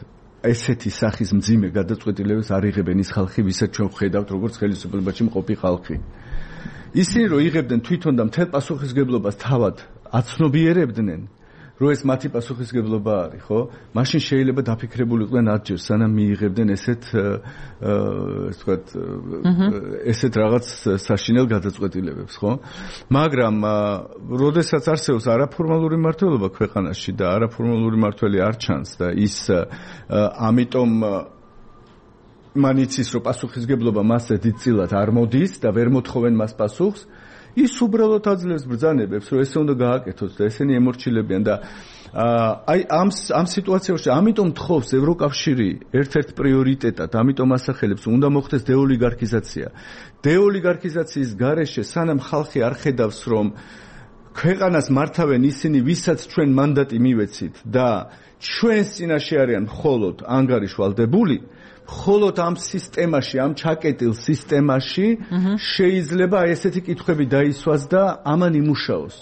Speaker 2: ესეთი სახის მძიმე გადაწყვეტილებებს არ იღებენ ის ხალხი, ვისაც ჩვენ ვხედავთ როგორც ხელისუფლებაში მყოფი ხალხი. ისინი რომ იღებდნენ თვითონ და მთელ პასუხისგებლობას თავად აცნობიერებდნენ, რომ ეს მათი პასუხისგებლობა არის, ხო? მაშინ შეიძლება დაფიქრებული იყვნენ ათჯერ, სანამ მიიღებდნენ ესეთ ესე ვთქვათ, ესეთ რაღაც საშინელ გადაწყვეტილებებს, ხო? მაგრამ როდესაც არსებობს არაფორმალური მმართველობა ქვეყანაში და არაფორმალური მმართველი არ ჩანს და ის ამიტომ მან იცის, რომ პასუხისგებლობა მასზე დიდწილად არ მოდის და ვერ მოთხოვენ მას პასუხს, ის უბრალოდ აძლევს ბრძანებებს, რომ ესე უნდა გააკეთოს და ესენი ემორჩილებიან და აი ამ ამ სიტუაციაში ამიტომ თხოვს ევროკავშირი ერთ-ერთ პრიორიტეტად, ამიტომ ასახელებს, უნდა მოხდეს დეოლიგარქიზაცია. დეოლიგარქიზაციის გარეშე სანამ ხალხი არ ხედავს, რომ ქვეყანას მართავენ ისინი, ვისაც ჩვენ მანდატი მივეცით და ჩვენს წინაშე არიან მხოლოდ ანგარიშვალდებული, მხოლოდ ამ სისტემაში, ამ ჩაკეტილ სისტემაში შეიძლება აი ესეთი კითხვები დაისვას და ამან იმუშაოს.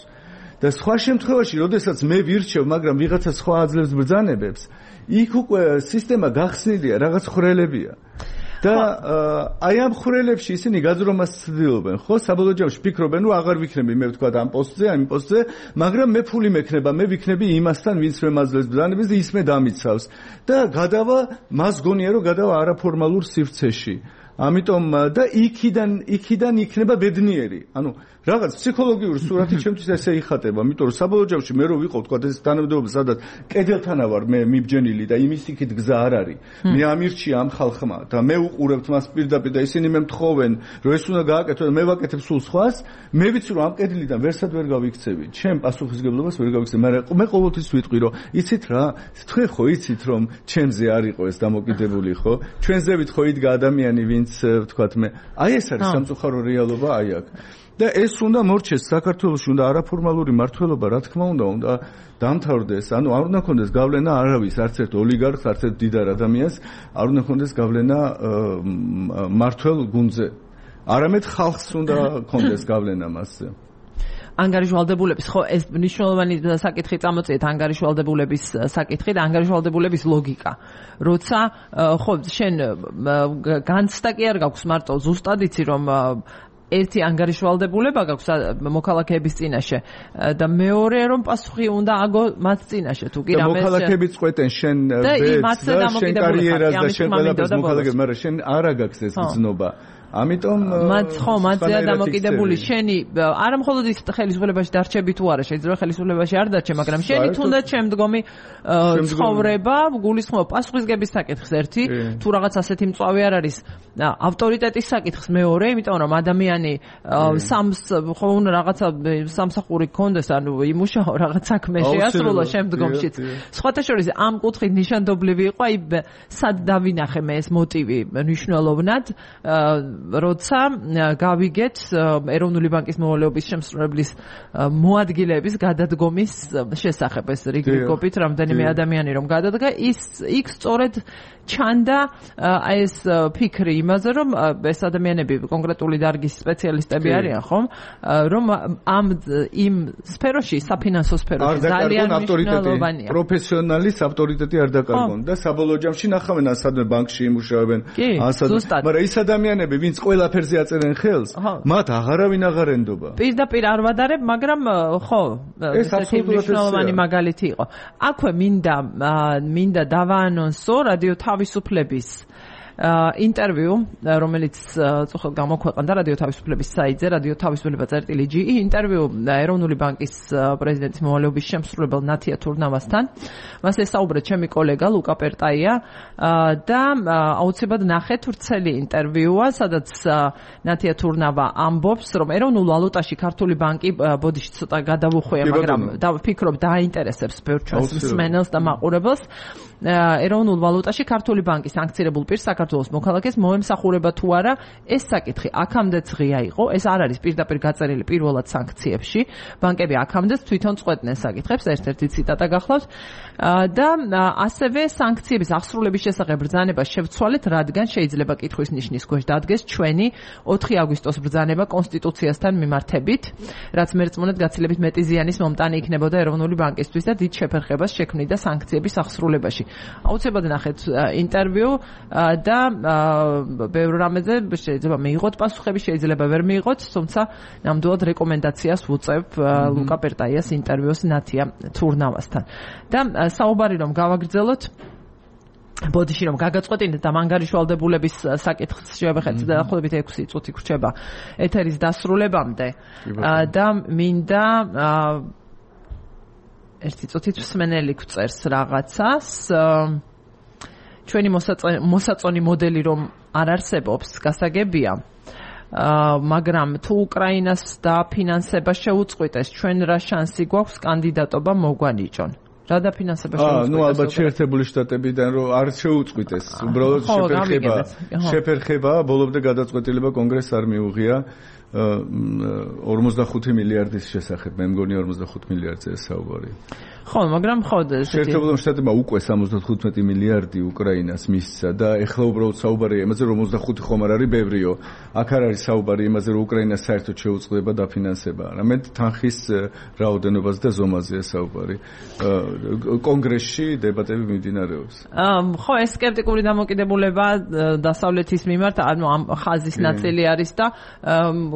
Speaker 2: და სხვა შემთხვევაში, როდესაც მე ვირჩევ, მაგრამ ვიღაცა სხვა აძლევს ბრძანებებს, იქ უკვე სისტემა გახსნილია, რაღაც ხვრელებია. და აი ამ ხვრელებში ისინი გაძრომას ცდილობენ, ხო? საბოლოო ჯამში ფიქრობენ, რომ აღარ ვიქნები მე ვთქვა ამ პოსტზე, ამ პოსტზე, მაგრამ მე ფული მექნება, მე ვიქნები იმასთან, ვინც მე მაძლევს ბრძანებას და ის მე დამიცავს. და გადავა, მას გონია, რომ გადავა არაფორმალურ სივრცეში. ამიტომ და იქიდან იქიდან იქნება ბედნიერი. ანუ რაღაც ფსიქოლოგიური სურათი ჩემთვის ესე იხატება, იმიტომ რომ საბოლოო ჯამში მე რო ვიყო თქვა ეს თანამდებობა, სადაც კედელთანა ვარ მე მიბჯენილი და იმის იქით გზა არ არის. მე ამირჩია ამ ხალხმა და მე უყურებთ მას პირდაპირ და ისინი მე მთხოვენ, რომ ეს უნდა გააკეთო და მე ვაკეთებ სულ სხვას, მე ვიცი რომ ამ კედლიდან ვერსად ვერ გავიქცევი. ჩემ პასუხისგებლობას ვერ გავიქცევი, მაგრამ მე ყოველთვის ვიტყვი რომ იცით რა, თქვენ ხო იცით რომ ჩემზე არ იყო ეს დამოკიდებული, ხო? ჩვენზევით ხო იდგა ადამიანი, ვინც ვთქვათ მე, აი ეს არის სამწუხარო რეალობა აი აქ. და ეს უნდა მორჩეს საქართველოში, უნდა არაფორმალური მმართველობა, რა თქმა უნდა, უნდა დამთავრდეს. ანუ არ უნდა ქონდეს გავლენა არავის, არც ერთ ოლიგარქს, არც ერთ დიდარ ადამიანს, არ უნდა ქონდეს გავლენა მმართველ გუნდზე. არამედ ხალხს უნდა ქონდეს გავლენა მასზე.
Speaker 1: ანგარიშვალდებულების, ხო, ეს მნიშვნელოვანი საკითხი წამოწიეთ, ანგარიშვალდებულების საკითხი და ანგარიშვალდებულების ლოგიკა. როცა ხო, შენ განცდა კი არ გაქვს მარტო ზუსტად იცი რომ ერთი ანგარიშვალდებულება გაქვს მოქალაქეების წინაშე და მეორე რომ პასუხი უნდა აგო მათ წინაშე თუ კი რამე
Speaker 2: მოქალაქეები წყვეტენ შენ ვეც და შენ კარიერას და შენ ყველაფერს მოქალაქეებს, მაგრამ შენ არა გაქვს ეს გზნობა. ამიტომ
Speaker 1: მათ ხო მათზეა დამოკიდებული შენი არა მხოლოდ ის ხელისუფლებაში დარჩები თუ არა, შეიძლება ხელისუფლებაში არ დარჩე, მაგრამ შენი თუნდაც შემდგომი ცხოვრება გულისხმობ პასუხისგების საკითხს ერთი, თუ რაღაც ასეთი მწვავე არ არის ავტორიტეტის საკითხს მეორე, იმიტომ რომ ადამიანი სამს ხო უნდა რაღაცა სამსახური გქონდეს, ანუ იმუშაო რაღაც საქმე შეასრულო შემდგომშიც. სხვათა შორის ამ კუთხით ნიშანდობლივი იყო, აი სად დავინახე მე ეს მოტივი მნიშვნელოვნად, როცა გავიგეთ ეროვნული ბანკის მოვალეობის შემსრულებლის მოადგილეების გადადგომის შესახებ, ეს რიგრიგობით რამდენიმე ადამიანი რომ გადადგა, ის იქ სწორედ ჩანდა აი ეს ფიქრი იმაზე, რომ ეს ადამიანები კონკრეტული დარგის სპეციალისტები არიან, ხომ? რომ ამ იმ სფეროში, საფინანსო სფეროში ძალიან მნიშვნელოვანია.
Speaker 2: პროფესიონალის ავტორიტეტი არ დაკარგონ და საბოლოო ჯამში ნახავენ ასადმე ბანკში იმუშავებენ, ასადმე, მაგრამ ის ადამიანები, ვინც ყველაფერზე აწერენ ხელს, მათ აღარავინ აღარ ენდობა.
Speaker 1: პირდაპირ არ ვადარებ, მაგრამ ხო,
Speaker 2: ეს აბსოლუტურად
Speaker 1: მნიშვნელოვანი მაგალითი იყო. აქვე მინდა მინდა დავაანონსო რადიო თავისუფლების ინტერვიუ, რომელიც წუხელ გამოქვეყნდა რადიო თავისუფლების საიტზე, რადიო თავისუფლება წერტილი ჯი, ინტერვიუ ეროვნული ბანკის პრეზიდენტის მოვალეობის შემსრულებელ ნათია თურნავასთან. მას ესაუბრეთ ჩემი კოლეგა ლუკა პერტაია და აუცილებლად ნახეთ ვრცელი ინტერვიუა, სადაც ნათია თურნავა ამბობს, რომ ეროვნულ ვალუტაში ქართული ბანკი ბოდიში ცოტა გადავუხვია, მაგრამ ვფიქრობ დაინტერესებს ბევრ ჩვენს მსმენელს და მაყურებელს. ეროვნულ ვალუტაში ქართული ბანკის სანქცირებულ პირს საქართველოს მოქალაქეს მოემსახურება თუ არა, ეს საკითხი აქამდეც ღია იყო, ეს არ არის პირდაპირ გაწერილი პირველად სანქციებში, ბანკები აქამდეც თვითონ წყვეტდნენ საკითხებს, ერთ-ერთი ციტატა გახლავთ და ასევე სანქციების აღსრულების შესახებ ბრძანება შევცვალეთ, რადგან შეიძლება კითხვის ნიშნის ქვეშ დადგეს ჩვენი ოთხი აგვისტოს ბრძანება კონსტიტუციასთან მიმართებით, რაც მერწმუნედ გაცილებით მეტი ზიანის მომტანი იქნებოდა ეროვნული ბანკისთვის და დიდ შეფერხებას შექმნიდა სანქციების აღსრულებაში. აუცილებლად ნახეთ ინტერვიუ და და ბევრ რამეზე შეიძლება მიიღოთ პასუხები, შეიძლება ვერ მიიღოთ, თუმცა ნამდვილად რეკომენდაციას ვუწევ ლუკა პერტაიას ინტერვიუს ნათია თურნავასთან. და საუბარი რომ გავაგრძელოთ ბოდიში რომ გაგაწყვეტინეთ და მანგარიშვალდებულების საკითხს შევეხეთ დაახლოებით ექვსი წუთი გრჩება ეთერის დასრულებამდე და მინდა ერთი წუთით მსმენელი გვწერს რაღაცას ჩვენი მოსაწონი მოდელი რომ არ არსებობს გასაგებია მაგრამ თუ უკრაინას დაფინანსება შეუწყვიტეს ჩვენ რა შანსი გვაქვს კანდიდატობა მოგვანიჭონ რა დაფინანსება შეუწყვიტეს?
Speaker 2: ნუ ალბათ შეერთებული შტატებიდან რომ არ შეუწყვიტეს, უბრალოდ შეფერხება. შეფერხება, ბოლომდე გადაწყვეტილება კონგრესს არ მიუღია ორმოცდახუთი მილიარდის შესახებ. მე მგონი ორმოცდახუთი მილიარდზე საუბარი.
Speaker 1: ხო, მაგრამ ხო
Speaker 2: შეერთებულ შტატებმა უკვე სამოცდათხუთმეტი მილიარდი უკრაინას მისცა და ეხლა უბრალოდ საუბარია იმაზე, რომ ორმოცდახუთი ხომ არ არის ბევრიო. აქ არ არის საუბარი იმაზე, რომ უკრაინას საერთოდ შეუწყდება დაფინანსება. არამედ თანხის რაოდენობაზე და ზომაზეა საუბარი. კონგრესში დებატები მიმდინარეობს.
Speaker 1: ხო, ეს სკეპტიკური დამოკიდებულება დასავლეთის მიმართ, ანუ ამ ხაზის ნაწილი არის და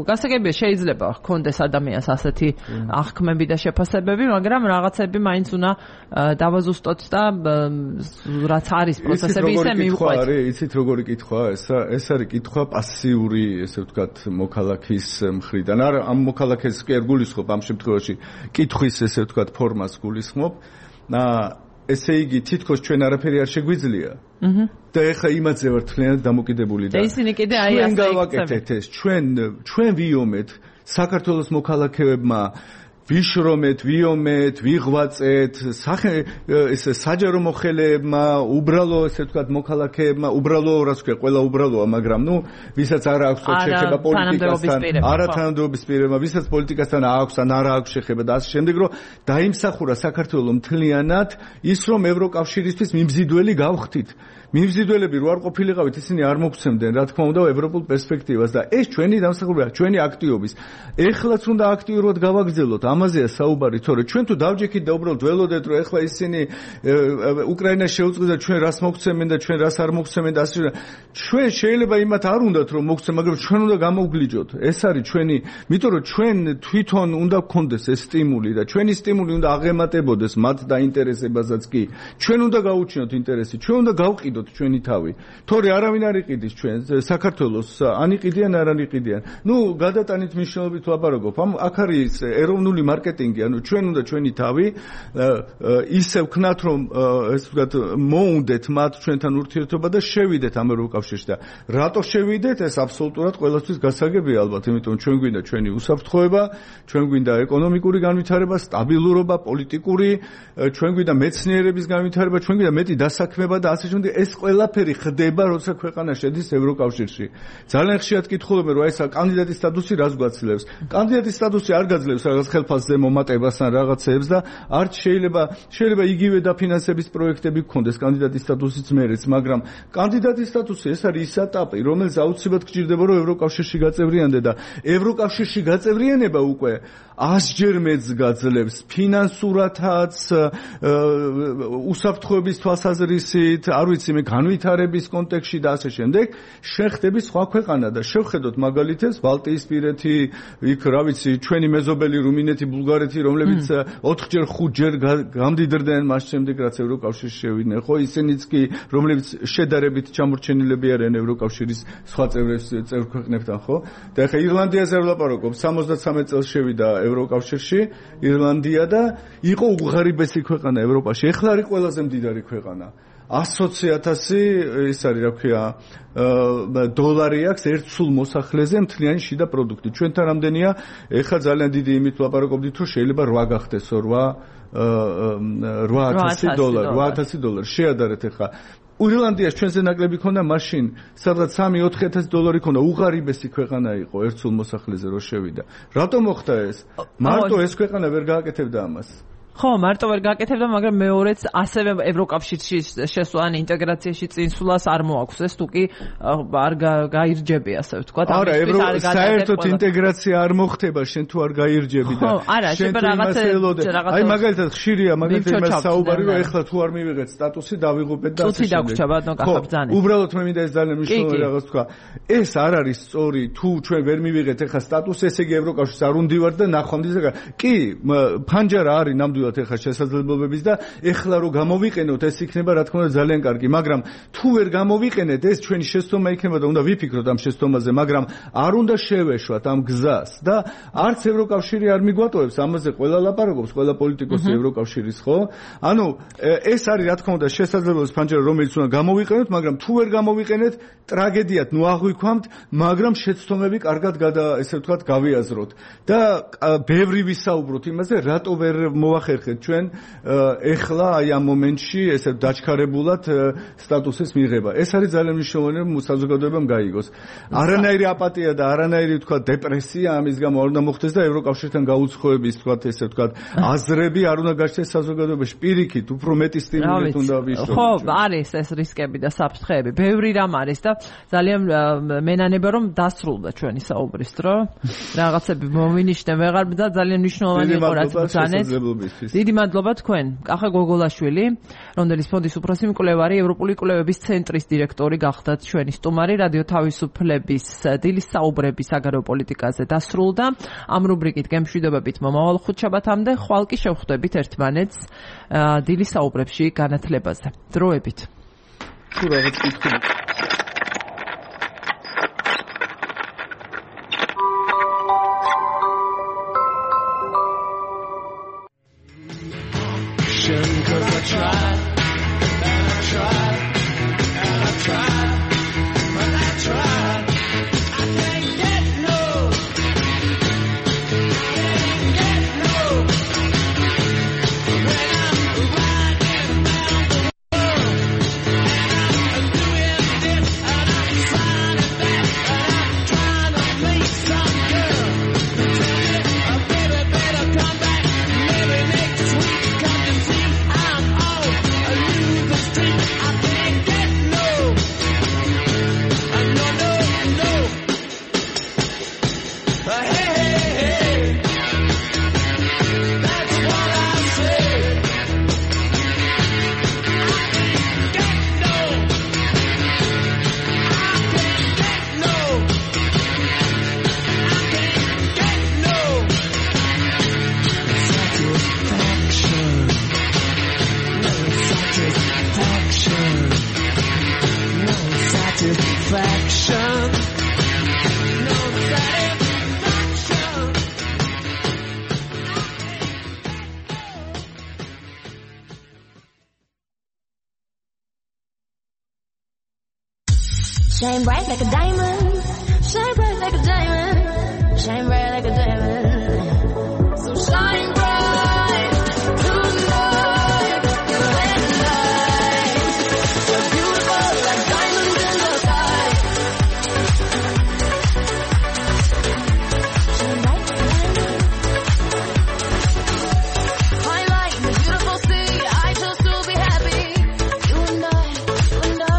Speaker 1: გასაგებია შეიძლება ჰქონდეს ადამიანს ასეთი აღქმები და შეფასებები, მაგრამ რაღაცები მაინც უნდა დავაზუსტოთ და რაც არის პროცესები ისე მივყვეთ.
Speaker 2: იცით როგორი კითხვაა ეს? ეს არის კითხვა პასიური, ესე ვთქვათ, მოქალაქის მხრიდან. არ ამ მოქალაქეს კი არ გულისხმობ ამ შემთხვევაში კითხვის ესე ვთქვათ ფორმას გულისხმობ. ესე იგი თითქოს ჩვენ არაფერი არ შეგვიძლია. და ეხლა იმაზე ვარ თლიანად დამოკიდებული და
Speaker 1: ისინი კიდე აი
Speaker 2: ასე გავაკეთეთ ეს. ჩვენ ჩვენ ვიომეთ საქართველოს მოქალაქეებმა ვიშრომეთ, ვიომეთ, ვიღვაწეთ, სახე ეს საჯარო მოხელეებმა, უბრალო ესე ვთქვათ მოქალაქეებმა, უბრალო რას ქვია, ყველა უბრალოა, მაგრამ ნუ ვისაც არ აქვს შეხება პოლიტიკასთან, არათანადოების პირებმა, ვისაც პოლიტიკასთან აქვს ან არ აქვს შეხება და ასე შემდეგ, რომ დაიმსახურა საქართველოს მთლიანად ის, რომ ევროკავშირისთვის მიმზიდველი გავხდით. მიმზიდველები რო არ ყოფილიყავით, ისინი არ მოგცემდნენ, რა თქმა უნდა, ევროპულ პერსპექტივას და ეს ჩვენი დამსახურებაა, ჩვენი აქტიობის. ეხლაც უნდა აქტიურად გავაგრძელოთ, ამაზეა საუბარი, თორე ჩვენ თუ დავჯექით და უბრალოდ ველოდეთ, რომ ეხლა ისინი უკრაინას შეუწყდეს და ჩვენ რას მოგცემენ და ჩვენ რას არ მოგცემენ და ასე ჩვენ შეიძლება იმათ არ უნდათ რომ მოგცემ, მაგრამ ჩვენ უნდა გამოვგლიჯოთ. ეს არის ჩვენი, იმიტომ რომ ჩვენ თვითონ უნდა გქონდეს ეს სტიმული და ჩვენი სტიმული უნდა აღემატებოდეს მათ დაინტერესებასაც კი. ჩვენ უნდა გაუჩინოთ ინტერესი, ჩვენ უნდა გავყიდოთ ჩვენი თავი. თორე არავინ არ იყიდის ჩვენ საქართველოს, ან იყიდიან, არ არიყიდიან. ნუ გადატანით მნიშვნელობით ლაპარაკობ. ამ აქ არის ეროვნული მარკეტინგი, ანუ ჩვენ უნდა ჩვენი თავი ისე ვქნათ, რომ ესე ვთქვათ, მოუნდეთ მათ ჩვენთან ურთიერთობა და შევიდეთ ამ ევროკავშირში და რატო შევიდეთ? ეს აბსოლუტურად ყველასთვის გასაგებია ალბათ, იმიტომ ჩვენ გვინდა ჩვენი უსაფრთხოება, ჩვენ გვინდა ეკონომიკური განვითარება, სტაბილურობა, პოლიტიკური, ჩვენ გვინდა მეცნიერების განვითარება, ჩვენ გვინდა მეტი დასაქმება და ასე შემდეგ. ეს ყველაფერი ხდება, როცა ქვეყანა შედის ევროკავშირში. ძალიან ხშირად კითხულობენ, რომ ეს კანდიდატის სტატუსი რას გვაცილებს? კანდიდატის სტატუსი არ გაძლევს რაღაც ხელფასზე მომატებას ან რაღაცებს და არც შეიძლება შეიძლება იგივე დაფინანსების პროექტები გქონდეს კანდიდატის სტატუსიც მერეც, მაგრამ კანდიდატის სტატუსი ეს არის ის ეტაპი, რომელიც აუცილებლად გჭირდება, რომ ევროკავშირში გაწევრიანდე და ევროკავშირში გაწევრიანება უკვე ასჯერ მეც გაძლევს ფინანსურათაც, უსაფრთხოების თვალსაზრისით, არ ვიცი მე განვითარების კონტექსტში და ასე შემდეგ, შეხდები სხვა ქვეყანა და შევხედოთ მაგალითებს ბალტიისპირეთი, იქ რა ვიცი, ჩვენი მეზობელი რუმინეთი, ბულგარეთი, რომლებიც ოთხჯერ ხუთჯერ გამდიდრდნენ მას შემდეგ, რაც ევროკავშირში შევიდნენ. ხო, ისინიც კი, რომლებიც შედარებით ჩამორჩენილები არიან ევროკავშირის სხვა წევრ ქვეყნებთან, ხო? და ეხლა ირლანდიაზე ვლაპარაკობ, სამოცდათრამეტ წელს შევიდა ევროკავშირში ირლანდია და იყო უღარიბესი ქვეყანა ევროპაში. ეხლა არის ყველაზე მდიდარი ქვეყანა. ასოცი ათასი ის არის რა ქვია დოლარი აქვს ერთ სულ მოსახლეზე მთლიანი შიდა პროდუქტი. ჩვენთან რამდენია? ეხლა ძალიან დიდი იმით ვლაპარაკობდით, რომ შეიძლება რვა გახდესო, რვა ათასი დოლარი, რვა ათასი დოლარი. შეადარეთ ეხლა ირლანდიას ჩვენზე ნაკლები ქონდა მაშინ, სადღაც სამი ოთხი ათასი დოლარი ქონდა, უღარიბესი ქვეყანა იყო ერთ სულ მოსახლეზე რო შევიდა. რატომ მოხდა ეს? მარტო ეს ქვეყანა ვერ გააკეთებდა ამას.
Speaker 1: ხო, მარტო ვერ გაკეთებდა, მაგრამ მეორეც ასევე ევროკავშირში შესვლა, ან ინტეგრაციაში წინსვლას არ მოაქვს. ეს თუ კი არ გაირჯები, ასე ვთქვათ.
Speaker 2: არა, საერთოდ ინტეგრაცია არ მოხდება, შენ თუ არ გაირჯები და
Speaker 1: შენ რაღაცა
Speaker 2: აი მაგალითად ხშირია, მაგალითად იმას საუბარი, რომ ეხლა თუ არ მივიღეთ სტატუსი, დავიღუპეთ და
Speaker 1: წუთი დაგვრჩა, ბატონო, გახაბძანე.
Speaker 2: უბრალოდ მე მინდა ეს ძალიან მნიშვნელოვანი რაღაც თქვა. ეს არ არის სწორი, თუ ჩვენ ვერ მივიღეთ ეხლა სტატუსი, ესე იგი ევროკავშირს არ უნდივართ და ნახვამდის და კი, ფანჯარა არის ნამდვილად ეხლა შესაძლებლობების და ეხლა რო გამოვიყენოთ ეს იქნება რა თქმა უნდა ძალიან კარგი, მაგრამ თუ ვერ გამოვიყენეთ ეს ჩვენი შეცდომა იქნება და უნდა ვიფიქროთ ამ შეცდომაზე, მაგრამ არ უნდა შევეშვათ ამ გზას და არც ევროკავშირი არ მიგვატოვებს ამაზე ყველა ლაპარაკობს, ყველა პოლიტიკოსი ევროკავშირის, ხო? ანუ ეს არის რა თქმა უნდა შესაძლებლობის ფანჯარა, რომელიც უნდა გამოვიყენოთ, მაგრამ თუ ვერ გამოვიყენეთ, ტრაგედიად ნუ აღვიქვამთ, მაგრამ შეცდომები კარგად გადა ესე ვთქვათ გავიაზროთ და ბევრი ვისაუბროთ იმაზე, რატო ვერ მოახერხეთ ჩვენ ეხლა აი ამ მომენტში ესე დაჩქარებულად სტატუსის მიღება. ეს არის ძალიან მნიშვნელოვანი, რომ საზოგადოებამ გაიგოს. არანაირი აპატია და არანაირი ვთქვათ დეპრესია ამის გამო არ უნდა მოხდეს და ევროკავშირთან გაუცხოების ვთქვათ ესე ვთქვათ აზრები არ უნდა გაჩნდეს საზოგადოებაში. პირიქით, უფრო მეტი სტიმულით უნდა ვიშლოთ.
Speaker 1: ხო, არის ეს რისკები და საფრთხეები. ბევრი რამ არის და ძალიან მენანება რომ დასრულდა ჩვენი საუბრის დრო. რაღაცები მომინიშნე ვეღარ და ძალიან მნიშვნელოვანი იყო რაც ბრძანეთ. დიდი მადლობა თქვენ. კახა გოგოლაშვილი, რომდელის ფონდის უფროსი მკვლევარი, ევროპული კვლევების ცენტრის დირექტორი გახდათ ჩვენი სტუმარი. რადიო თავისუფლების დილის საუბრები საგარეო პოლიტიკაზე დასრულდა. ამ რუბრიკით გემშვიდობებით მომავალ ხუთშაბათამდე, ხვალ კი შევხვდებით ერთმანეთს დილის საუბრებში განათლებაზე. დროებით.
Speaker 2: თუ რაღაც კითხვა
Speaker 3: cause I tried and I tried and I tried but I tried I can't get no can't get no when I'm riding around the world and I'm doing this and I'm trying it back and I'm trying to meet some girl who tell me oh baby better come back maybe next week come and see I'm all alone the street. I can't get no. No, no, no. Hey, hey, hey. That's what I say. I can't get no. I can't get no. I can't get no. Satisfaction. No satisfaction. No satisfaction. No satisfaction.
Speaker 4: Shine bright like a diamond. Shine bright like a diamond. Shine bright like a diamond. So shine bright tonight. You and I. So beautiful like diamonds in the sky. Shine bright like a diamond. High light in the beautiful sea. I chose to be happy. You and I, you and I.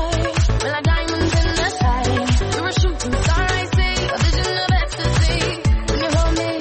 Speaker 4: We're like diamonds in the sky. We were shooting star I see. A vision of ecstasy. When you hold me.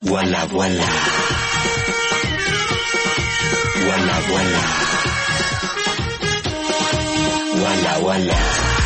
Speaker 5: Voila, voila. Voila, voila. Voila, voila.